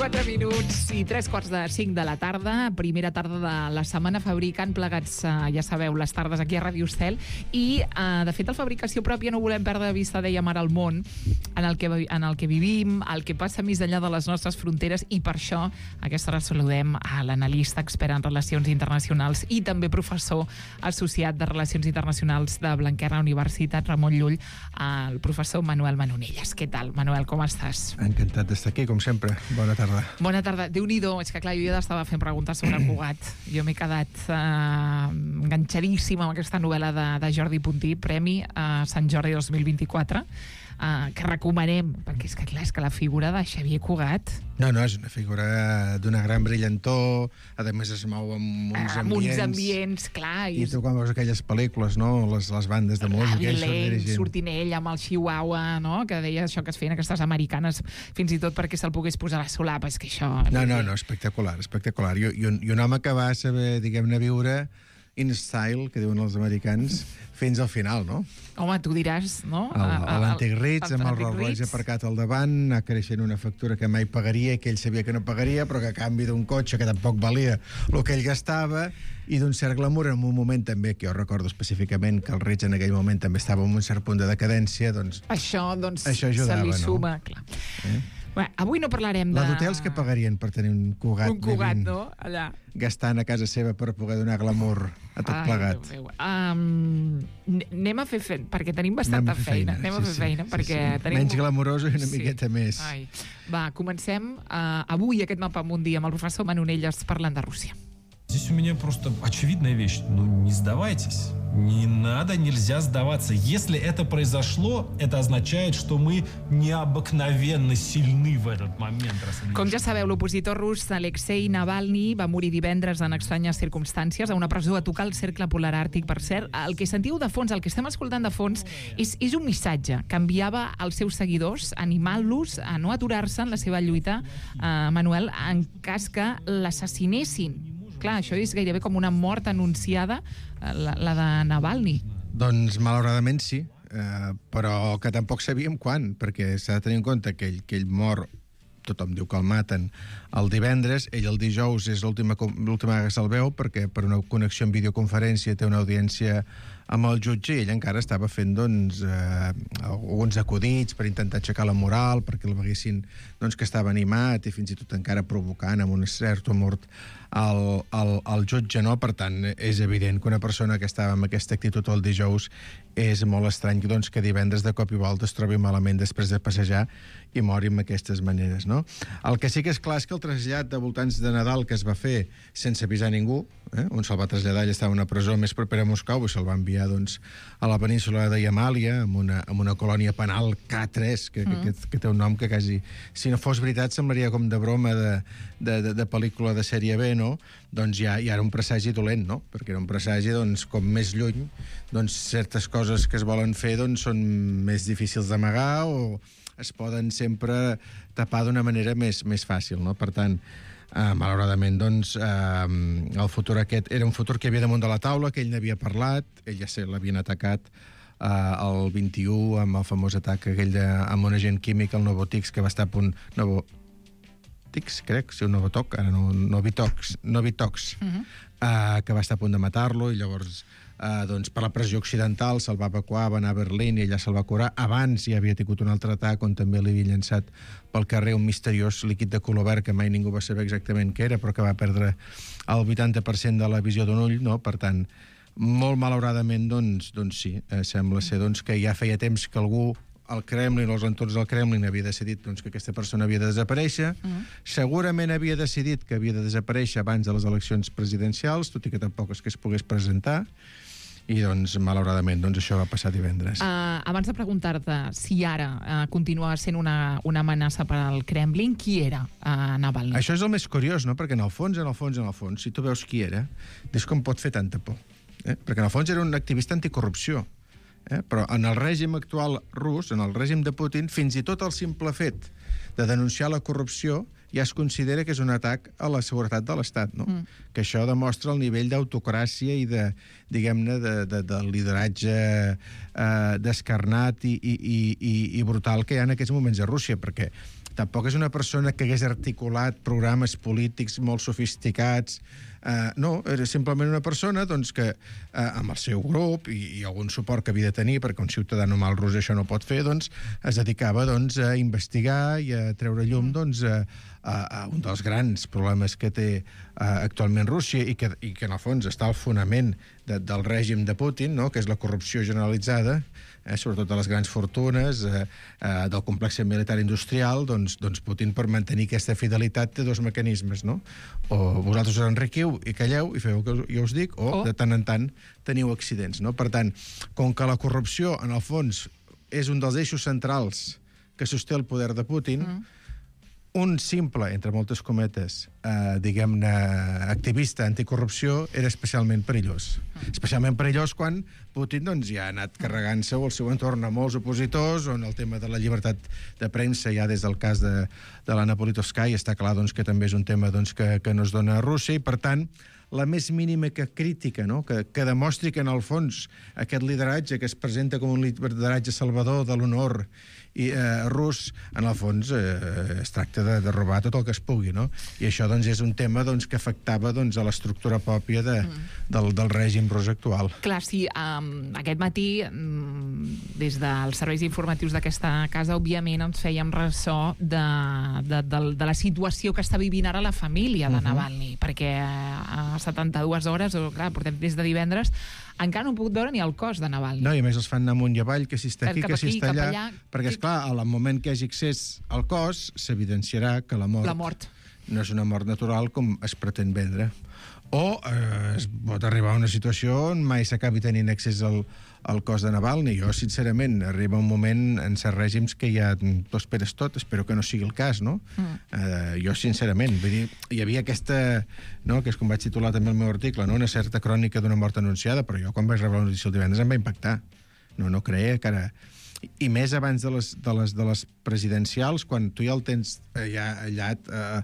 quatre minuts i tres quarts de cinc de la tarda, primera tarda de la setmana fabricant plegats, eh, ja sabeu, les tardes aquí a Ràdio Estel, i eh, de fet el Fabricació Pròpia no volem perdre de vista, dèiem ara, el món en el que, en el que vivim, el que passa més enllà de les nostres fronteres, i per això a aquesta hora saludem a l'analista expert en relacions internacionals i també professor associat de Relacions Internacionals de Blanquerna Universitat Ramon Llull, el professor Manuel Manonelles. Què tal, Manuel, com estàs? Encantat d'estar aquí, com sempre. Bona tarda. Bona tarda. Déu-n'hi-do, és que clar, jo ja estava fent preguntes sobre Cugat. Jo m'he quedat eh, enganxadíssima amb aquesta novel·la de, de Jordi Puntí, Premi a Sant Jordi dos mil vint-i-quatre, eh, que recomanem, perquè és que clar, és que la figura de Xavier Cugat... No, no, és una figura d'una gran brillantor, a més es mou amb uns amb ambients... uns ambients, clar... I tu quan veus aquelles pel·lícules, no?, les, les bandes de música... Avilent, sortint ell amb el Chihuahua, no?, que deia això que es feien aquestes americanes, fins i tot perquè se'l pogués posar a la solapa, és que això... No, no, no, espectacular, espectacular. I, i, un, i un home que va saber, diguem-ne, viure in style, que diuen els americans, fins al final, no? Home, tu diràs, no? L'antic Ritz, amb el Rolls Royce aparcat al davant, anar creixent una factura que mai pagaria i que ell sabia que no pagaria, però que a canvi d'un cotxe que tampoc valia el que ell gastava, i d'un cert glamour en un moment també, que jo recordo específicament que el Ritz en aquell moment també estava en un cert punt de decadència, doncs... Això, doncs, això ajudava, se li no? suma, clar. Eh? Bé, avui no parlarem de... La d'hotels que pagarien per tenir un Cugat, un Cugat, vivint, no? Allà. Gastant a casa seva per poder donar glamour a tot Ai, plegat. Déu meu. Um, anem a fer feina, perquè tenim bastanta Anem a fer feina. feina, Anem a sí, fer sí, feina, sí, perquè sí. tenim... Menys glamouroso i una Sí. miqueta més. Ai. Va, comencem uh, avui aquest mapa mundi amb el professor Manonelles parlant de Rússia. Здесь у меня просто очевидная вещь. Ну, не сдавайтесь. Не надо, нельзя сдаваться. Если это произошло, это означает, что мы необыкновенно сильны в этот момент. Com ja sabeu, l'opositor rus Alexei Navalny va morir divendres en estranyes circumstàncies a una presó a tocar el cercle polar àrtic. Per cert, el que sentiu de fons, el que estem escoltant de fons, és, és un missatge que enviava als seus seguidors, animant-los a no aturar-se en la seva lluita, eh, Manuel, en cas que l'assassinessin. Clar, això és gairebé com una mort anunciada, la, la de Navalny. Doncs, malauradament, sí. Eh, però que tampoc sabíem quan, perquè s'ha de tenir en compte que ell, que ell mor, tothom diu que el maten el divendres, ell el dijous és l'última l'última vegada que se'l veu, perquè per una connexió en videoconferència té una audiència amb el jutge, i ell encara estava fent doncs, eh, alguns acudits per intentar aixecar la moral, perquè el veguessin doncs, que estava animat i fins i tot encara provocant amb un cert humor el, el, el jutge, no? Per tant, és evident que una persona que estava amb aquesta actitud el dijous és molt estrany doncs, que divendres de cop i volta es trobi malament després de passejar i mori amb aquestes maneres, no? El que sí que és clar és que el trasllat de voltants de Nadal que es va fer sense avisar ningú, eh? On se'l va traslladar, ell estava a una presó més propera a Moscou i se'l va enviar doncs, a la península de Yamàlia, amb una, amb una colònia penal K tres, que, mm. que, que, que té un nom que quasi, si no fos veritat, semblaria com de broma de, de, de, de pel·lícula de sèrie B, no? Doncs ja, ja era un presagi dolent, no? Perquè era un presagi, doncs, com més lluny, doncs certes coses que es volen fer doncs, són més difícils d'amagar o es poden sempre tapar d'una manera més, més fàcil, no? Per tant, eh, malauradament, doncs, eh, el futur aquest era un futur que hi havia damunt de la taula, que ell n'havia parlat, ell ja sé, l'havien atacat eh, el vint-i-u amb el famós atac aquell de, amb un agent químic, el Novotix, que va estar a punt... Novo, narcòtics, crec, si un Novitok, ara no, Novitox, Novitox, uh-huh. uh, que va estar a punt de matar-lo, i llavors Uh, doncs per la pressió occidental se'l va evacuar, va anar a Berlín i allà se'l va curar. Abans ja havia tingut un altre atac on també li havia llançat pel carrer un misteriós líquid de color verd que mai ningú va saber exactament què era, però que va perdre el vuitanta per cent de la visió d'un ull, no? Per tant, molt malauradament, doncs, doncs sí, eh, sembla ser doncs, que ja feia temps que algú al Kremlin, els entorns del Kremlin, havia decidit doncs, que aquesta persona havia de desaparèixer. Mm. Segurament havia decidit que havia de desaparèixer abans de les eleccions presidencials, tot i que tampoc és que es pogués presentar. I, doncs, malauradament, doncs, això va passar divendres. Uh, abans de preguntar-te si ara uh, continua sent una, una amenaça per al Kremlin, qui era uh, Navalny? Això és el més curiós, no? Perquè en el fons, en el fons, en el fons, si tu veus qui era, dius com pot fer tanta por. Eh? Perquè en el fons era un activista anticorrupció. Eh? Però en el règim actual rus, en el règim de Putin, fins i tot el simple fet de denunciar la corrupció ja es considera que és un atac a la seguretat de l'Estat, no? Mm. Que això demostra el nivell d'autocràcia i de, diguem-ne, de, de, de lideratge eh, descarnat i, i, i, i brutal que hi ha en aquests moments a Rússia, perquè tampoc és una persona que hagués articulat programes polítics molt sofisticats. Uh, no, era simplement una persona doncs, que uh, amb el seu grup i, i algun suport que havia de tenir, perquè un ciutadà normal rus això no pot fer, doncs, es dedicava doncs, a investigar i a treure llum doncs, a, a, a un dels grans problemes que té uh, actualment Rússia i que, i que en el fons està al fonament de, del règim de Putin, no? Que és la corrupció generalitzada, eh, sobretot de les grans fortunes, eh, eh, del complex militar industrial. Doncs, doncs Putin, per mantenir aquesta fidelitat, té dos mecanismes, no? O vosaltres us enriquiu i calleu i feu el que jo us dic, o oh. de tant en tant teniu accidents, no? Per tant, com que la corrupció, en el fons, és un dels eixos centrals que sosté el poder de Putin, mm. un simple, entre moltes cometes, eh, diguem-ne, activista anticorrupció era especialment perillós. Mm. Especialment perillós quan Putin doncs, ja ha anat carregant-se al seu entorn a molts opositors, on el tema de la llibertat de premsa, ja des del cas de, de l'Anna Politkovskaya, està clar doncs, que també és un tema doncs, que, que no es dona a Rússia, i per tant, la més mínima que crítica, no? que, que demostri que en el fons aquest lideratge que es presenta com un lideratge salvador de l'honor i eh, rus, en el fons eh, es tracta de, de robar tot el que es pugui, no? I això doncs, és un tema doncs, que afectava doncs, a l'estructura pròpia de, mm. del, del règim rus actual. Clar, sí, um, aquest matí, um, des dels serveis informatius d'aquesta casa, òbviament ens fèiem ressò de, de, de, de la situació que està vivint ara la família de uh-huh. Navalny, perquè a setanta-dues hores, o clar, portem des de divendres, encara no han pogut veure ni el cos de Navalny. No, i a més els fan anar amunt i avall, que si està aquí, cap que si aquí, està allà... allà... Perquè, esclar, al moment que hi hagi accés al cos, s'evidenciarà que la mort, la mort no és una mort natural com es pretén vendre. O eh, es pot arribar a una situació on mai s'acabi tenint accés al, al cos de Navalny. Jo, sincerament, arriba un moment en certs règims que ja t'ho esperes tot. Espero que no sigui el cas, no? Mm. Eh, jo, sincerament, vull dir, hi havia aquesta, no?, que és com vaig titular també el meu article, no?, una certa crònica d'una mort anunciada, però jo, quan vaig rebre la notícia el divendres, em va impactar. No, no creia que ara... I més abans de les, de les, de les presidencials, quan tu ja el tens ja allat eh,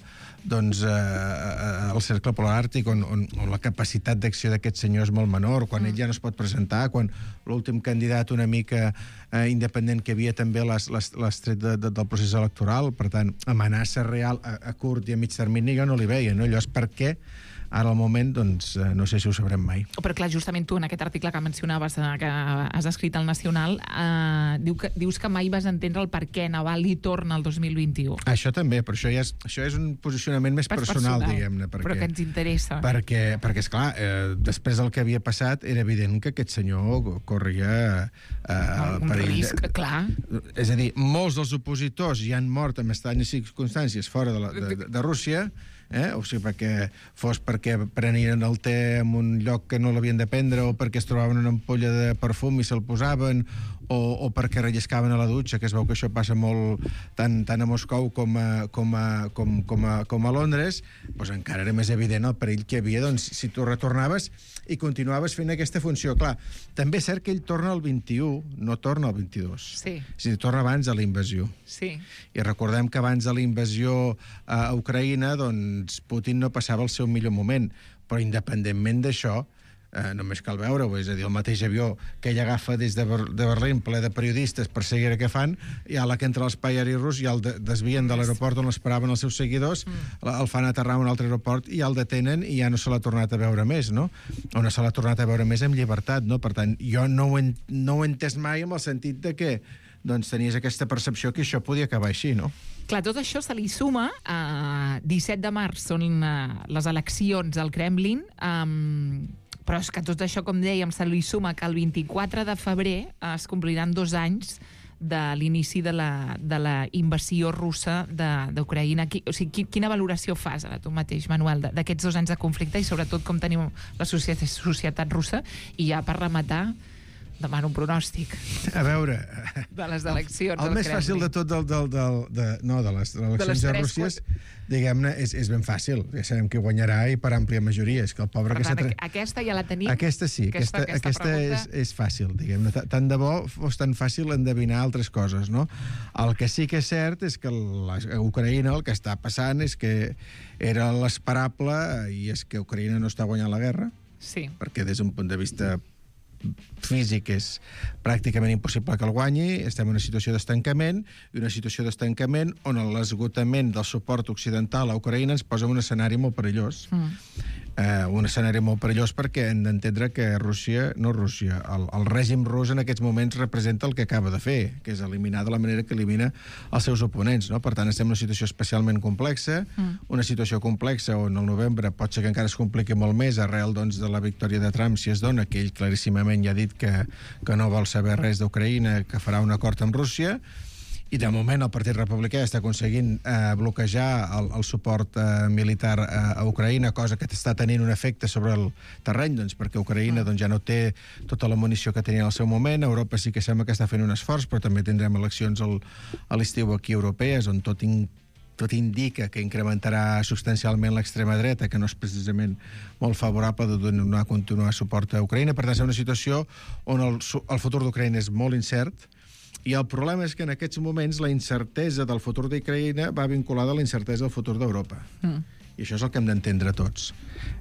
doncs, eh, al cercle polar àrtic, on, on, on la capacitat d'acció d'aquest senyor és molt menor, quan mm. ell ja no es pot presentar, quan l'últim candidat una mica eh, independent que havia també l'has tret de, de, del procés electoral. Per tant, amenaça real a, a curt i a mig termini jo no li veia, no? Allò és per què ara al moment, doncs, no sé si ho sabrem mai. Però clar, justament tu, en aquest article que mencionaves, que has escrit al Nacional, eh, diu que, dius que mai vas entendre el per què Navalny torna el dos mil vint-i-u. Això també, però això, ja és, això és un posicionament més personal, personal, diguem-ne. Perquè, però que ens interessa. Perquè, perquè esclar, eh, després del que havia passat, era evident que aquest senyor corria eh, un perill. risc, de, clar. És a dir, molts dels opositors ja han mort en estranyes circumstàncies fora de, la, de, de, de Rússia, eh? O sigui, perquè fos perquè prenien el te en un lloc que no l'havien de prendre, o perquè es trobaven una ampolla de perfum i se'l posaven, o, o perquè relliscaven a la dutxa, que es veu que això passa molt tant, tant a Moscou com a, com a, com, com a, com a Londres, doncs encara era més evident el perill que hi havia, doncs, si tu retornaves i continuaves fent aquesta funció. Clar, també és cert que ell torna al vint-i-u, no torna al vint-i-dos. Sí. És a dir, torna abans de la invasió. Sí. I recordem que abans de la invasió a Ucraïna, doncs, Putin no passava el seu millor moment, però independentment d'això, eh, només cal veure-ho, és a dir, el mateix avió que ell agafa des de, Ber de Berlín, ple de periodistes per seguir què fan, i a la que entra a l'espai aeri rus ja el de desvien de l'aeroport on l'esperaven els seus seguidors, mm. el fan aterrar a un altre aeroport i ja el detenen i ja no se l'ha tornat a veure més, no? O no se l'ha tornat a veure més amb llibertat, no? Per tant, jo no ho, en, no ho he entès mai amb el sentit de que doncs, tenies aquesta percepció que això podia acabar així, no? Clar, tot això se li suma a disset de març, són uh, les eleccions al Kremlin, um, però és que tot això, com dèiem, se li suma que el vint-i-quatre de febrer es compliran dos anys de l'inici de, la, de la invasió russa d'Ucraïna. O sigui, quina valoració fas ara tu mateix, Manuel, d'aquests dos anys de conflicte i sobretot com tenim la societat, societat russa? I ja per rematar, demano un pronòstic. A veure... De les eleccions. El més fàcil de tot del, del, del, de, no, de les eleccions de, les de Rússia, diguem-ne, és, és ben fàcil. Ja sabem qui guanyarà i per àmplia majoria. És que el pobre... Per tant, que aquesta ja la tenim. Aquesta sí, aquesta, aquesta, aquesta, aquesta és, és fàcil, diguem-ne. Tant de bo fos tan fàcil endevinar altres coses, no? El que sí que és cert és que la, a Ucraïna el que està passant és que era l'esperable i és que Ucraïna no està guanyant la guerra. Sí. Perquè des d'un punt de vista físic és pràcticament impossible que el guanyi, estem en una situació d'estancament i una situació d'estancament on l'esgotament del suport occidental a Ucraïna ens posa en un escenari molt perillós. Mm. Eh, un escenari molt perillós perquè hem d'entendre que Rússia, no Rússia, el, el règim rus en aquests moments representa el que acaba de fer, que és eliminar de la manera que elimina els seus oponents, no? Per tant, estem en una situació especialment complexa, mm. una situació complexa on el novembre pot ser que encara es compliqui molt més arrel doncs, de la victòria de Trump, si es dona, que ell claríssimament ja ha dit que, que no vol saber res d'Ucraïna, que farà un acord amb Rússia, i de moment el Partit Republicà està aconseguint eh, bloquejar el, el suport eh, militar a, a Ucraïna, cosa que està tenint un efecte sobre el terreny, doncs, perquè Ucraïna doncs, ja no té tota la munició que tenia al seu moment. Europa sí que sembla que està fent un esforç, però també tindrem eleccions al, a l'estiu aquí europees, on tot in, tot indica que incrementarà substancialment l'extrema dreta, que no és precisament molt favorable de donar continuar suport a Ucraïna. Per tant, és una situació on el, el futur d'Ucraïna és molt incert, i el problema és que en aquests moments la incertesa del futur d'Ucraïna va vinculada a la incertesa del futur d'Europa. Mm. I això és el que hem d'entendre tots.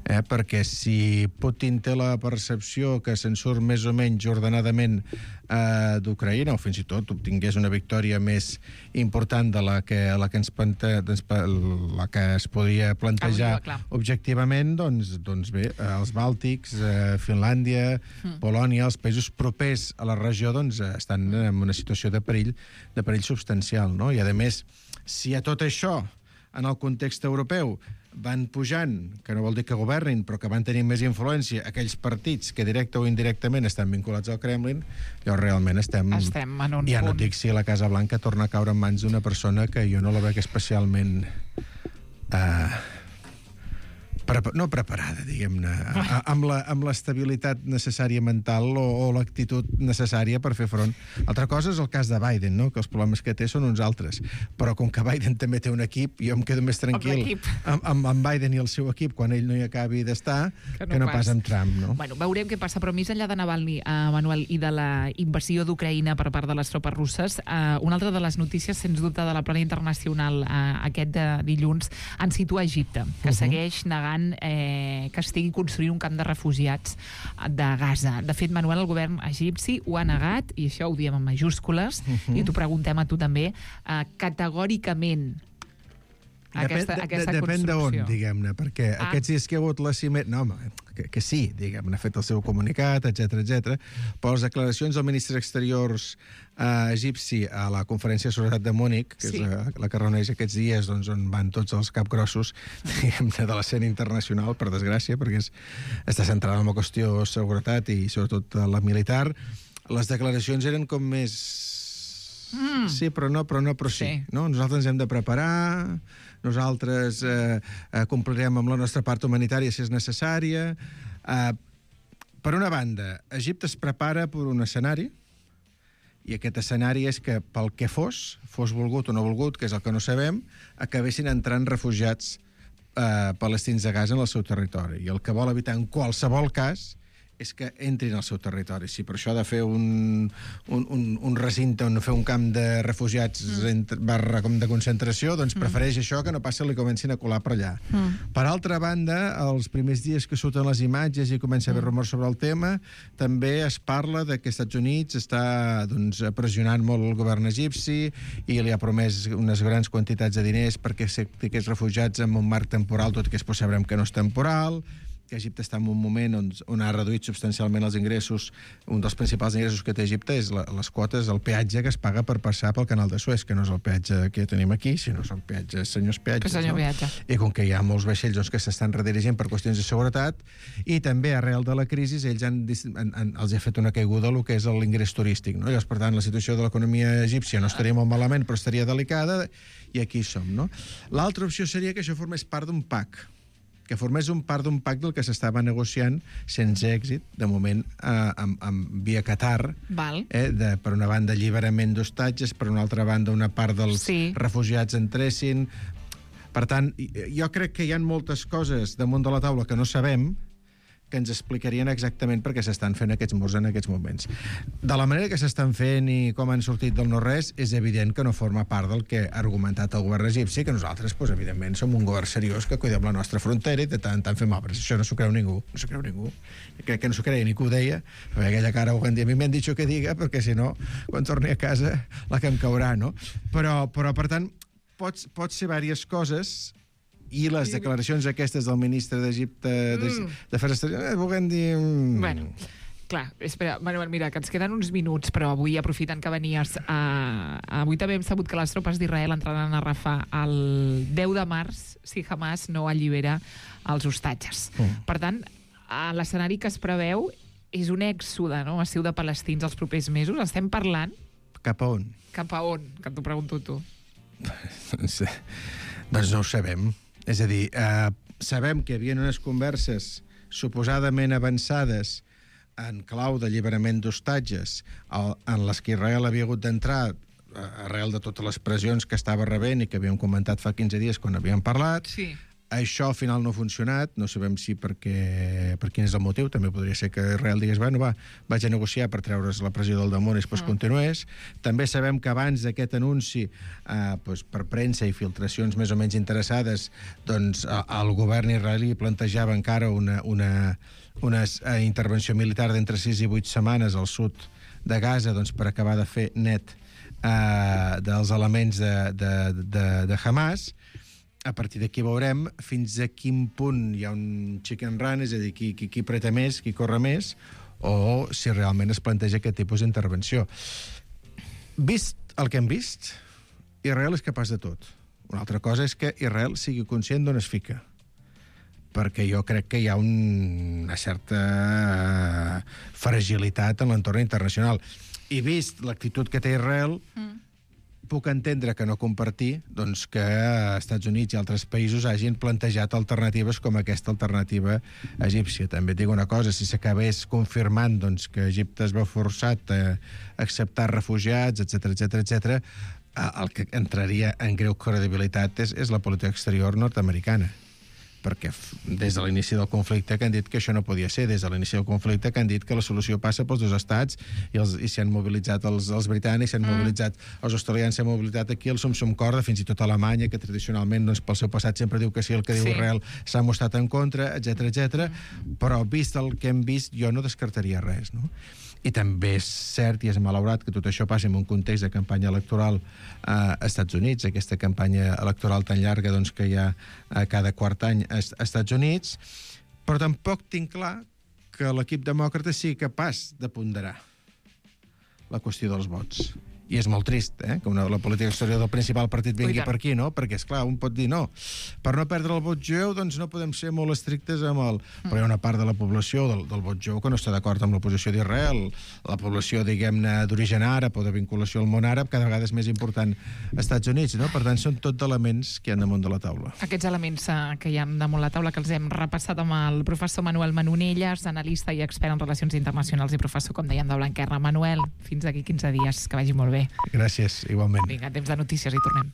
Eh? Perquè si Putin té la percepció que se'n surt més o menys ordenadament eh, d'Ucraïna, o fins i tot obtingués una victòria més important de la que, la que, ens plante, la que es podria plantejar ah, objectivament, doncs, doncs bé, els Bàltics, eh, Finlàndia, mm. Polònia, els països propers a la regió doncs, estan en una situació de perill, de perill substancial. No? I, a més, si a tot això en el context europeu van pujant, que no vol dir que governin, però que van tenir més influència, aquells partits que directe o indirectament estan vinculats al Kremlin, llavors realment estem... Estem en un ja punt. No et dic si la Casa Blanca torna a caure en mans d'una persona que jo no la veig especialment... Uh, Pre no preparada, diguem-ne, amb l'estabilitat necessària mental o, o l'actitud necessària per fer front. Altra cosa és el cas de Biden, no? Que els problemes que té són uns altres. Però com que Biden també té un equip, jo em quedo més tranquil amb, amb, amb Biden i el seu equip quan ell no hi acabi d'estar que, no que no pas. pas amb Trump, no? Bueno, veurem què passa, però més enllà de Navalny, uh, Manuel, i de la invasió d'Ucraïna per part de les tropes russes, uh, una altra de les notícies, sens dubte, de la plana internacional uh, aquest de dilluns, en situa Egipte, que uh -huh. segueix negant Eh, que estigui construint un camp de refugiats de Gaza. De fet, Manuel, el govern egipci ho ha negat, i això ho diem en majúscules, uh-huh. i t'ho preguntem a tu també, eh, categòricament aquesta, depèn, aquesta de, depèn construcció. d'on, diguem-ne, perquè ah. aquests dies que hi ha hagut la cimera... No, home, que, que sí, diguem-ne, ha fet el seu comunicat, etcètera, etcètera, però les declaracions del ministre d'Exteriors eh, egipci a la conferència de seguretat de Múnich, que sí. és la, la que reuneix aquests dies, doncs, on van tots els capgrossos, diguem-ne, de l'escena internacional, per desgràcia, perquè és, està centrada en la qüestió de seguretat i sobretot la militar. Les declaracions eren com més... Mm. Sí, però no, però no, però sí. sí. No? Nosaltres ens hem de preparar, nosaltres eh, eh, complirem amb la nostra part humanitària si és necessària. Eh, per una banda, Egipte es prepara per un escenari, i aquest escenari és que, pel que fos, fos volgut o no volgut, que és el que no sabem, acabessin entrant refugiats eh, palestins de Gaza en el seu territori. I el que vol evitar en qualsevol cas és que entrin al seu territori. Si per això ha de fer un, un, un, un recinte on fer un camp de refugiats mm. entre, barra com de concentració, doncs mm. prefereix això que no passi i li comencin a colar per allà. Mm. Per altra banda, els primers dies que surten les imatges i comença a haver rumors sobre el tema, també es parla de que els Estats Units està doncs, pressionant molt el govern egipci i li ha promès unes grans quantitats de diners perquè aquests refugiats en un marc temporal, tot i que després sabrem que no és temporal, que Egipte està en un moment on, on ha reduït substancialment els ingressos. Un dels principals ingressos que té Egipte és la, les quotes, el peatge que es paga per passar pel canal de Suez, que no és el peatge que tenim aquí, sinó són peatges, senyors peatges. Senyor no? peatge. I com que hi ha molts vaixells doncs, que s'estan redirigint per qüestions de seguretat, i també arrel de la crisi ells han, han, han, els ha fet una caiguda el que és l'ingrés turístic. No? Llavors, per tant, la situació de l'economia egípcia no estaria molt malament, però estaria delicada, i aquí som. No? L'altra opció seria que això formés part d'un pack, que formés un part d'un pacte del que s'estava negociant sense èxit, de moment, eh, amb, amb, via Qatar, Val. Eh, de, per una banda alliberament d'hostatges, per una altra banda una part dels Sí. refugiats entressin. Per tant, jo crec que hi ha moltes coses damunt de la taula que no sabem, que ens explicarien exactament per què s'estan fent aquests murs en aquests moments. De la manera que s'estan fent i com han sortit del no-res, és evident que no forma part del que ha argumentat el govern egipci, que nosaltres, doncs, evidentment, som un govern seriós que cuidem la nostra frontera i de tant en tant fem obres. Això no s'ho creu ningú. No s'ho creu ningú. Crec que no s'ho creia ni que ho deia, perquè aquella cara ho van dir. A mi m'han dit que diga, perquè si no, quan torni a casa, la que em caurà, no? Però, però per tant, pot, pot ser diverses coses. I les declaracions aquestes del ministre d'Egipte mm. d'Afers Exteriors, eh, volem dir... Mm. Bueno, clar, espera, Manuel, mira, que ens queden uns minuts, però avui, aprofitant que venies, uh, avui també hem sabut que les tropes d'Israel entraran a Rafah el deu de març si Hamas no allibera els hostatges. Mm. Per tant, l'escenari que es preveu és un èxode, no?, massiu de palestins els propers mesos. Estem parlant... Cap a on? Cap a on? Que t'ho pregunto tu. doncs, doncs no ho sabem. És a dir, eh, sabem que hi havia unes converses suposadament avançades en clau d'alliberament d'hostatges en les que Israel havia hagut d'entrar arrel de totes les pressions que estava rebent i que havíem comentat fa quinze dies quan havíem parlat. Sí. Això al final no ha funcionat, no sabem si perquè, per quin és el motiu, també podria ser que Israel digués, bueno, va, vaig a negociar per treure's la pressió del damunt i després mm. continués. També sabem que abans d'aquest anunci, eh, doncs, per premsa i filtracions més o menys interessades, doncs el govern israelí plantejava encara una, una, una eh, intervenció militar d'entre sis i vuit setmanes al sud de Gaza, doncs, per acabar de fer net eh, dels elements de, de, de, de Hamas. A partir d'aquí veurem fins a quin punt hi ha un chicken run, és a dir, qui, qui, qui preta més, qui corre més, o si realment es planteja aquest tipus d'intervenció. Vist el que hem vist, Israel és capaç de tot. Una altra cosa és que Israel sigui conscient d'on es fica, perquè jo crec que hi ha un, una certa fragilitat en l'entorn internacional. I vist l'actitud que té Israel... Mm. puc entendre que no compartir doncs, que Estats Units i altres països hagin plantejat alternatives com aquesta alternativa egípcia. També et dic una cosa, si s'acabés confirmant doncs, que Egipte es va forçat a acceptar refugiats, etcètera, etcètera, etcètera, el que entraria en greu credibilitat és, és la política exterior nord-americana. Perquè des de l'inici del conflicte que han dit que això no podia ser, des de l'inici del conflicte que han dit que la solució passa pels dos estats i, els, i s'han mobilitzat els, els britànics, s'han mm. mobilitzat els australians, s'han mobilitzat aquí el Sum-Sum Corda, fins i tot Alemanya, que tradicionalment doncs, pel seu passat sempre diu que sí, el que diu sí. Israel s'ha mostrat en contra, etcètera, etcètera. Mm. Però vist el que hem vist, jo no descartaria res, no? I també és cert i és malaurat que tot això passi en un context de campanya electoral a Estats Units, aquesta campanya electoral tan llarga doncs, que hi ha a cada quart any a Estats Units, però tampoc tinc clar que l'equip demòcrata sigui capaç de ponderar la qüestió dels vots. I és molt trist, eh?, que una, la política exterior del principal partit vingui per aquí, no? Perquè, esclar, un pot dir no. Per no perdre el vot jueu, doncs no podem ser molt estrictes amb el... Mm. Però hi ha una part de la població del, del vot jueu que no està d'acord amb la posició d'Israel. La població, diguem-ne, d'origen àrab o de vinculació al món àrab cada vegada és més important als Estats Units, no? Per tant, són tot elements que hi ha damunt de la taula. Aquests elements eh, que hi ha damunt la taula, que els hem repassat amb el professor Manuel Manonelles, analista i expert en relacions internacionals i professor, com dèiem, de Blanquerna. Manuel, fins aquí quinze dies. Que vagi molt bé. Gràcies, igualment. Vinga, temps de notícies i tornem.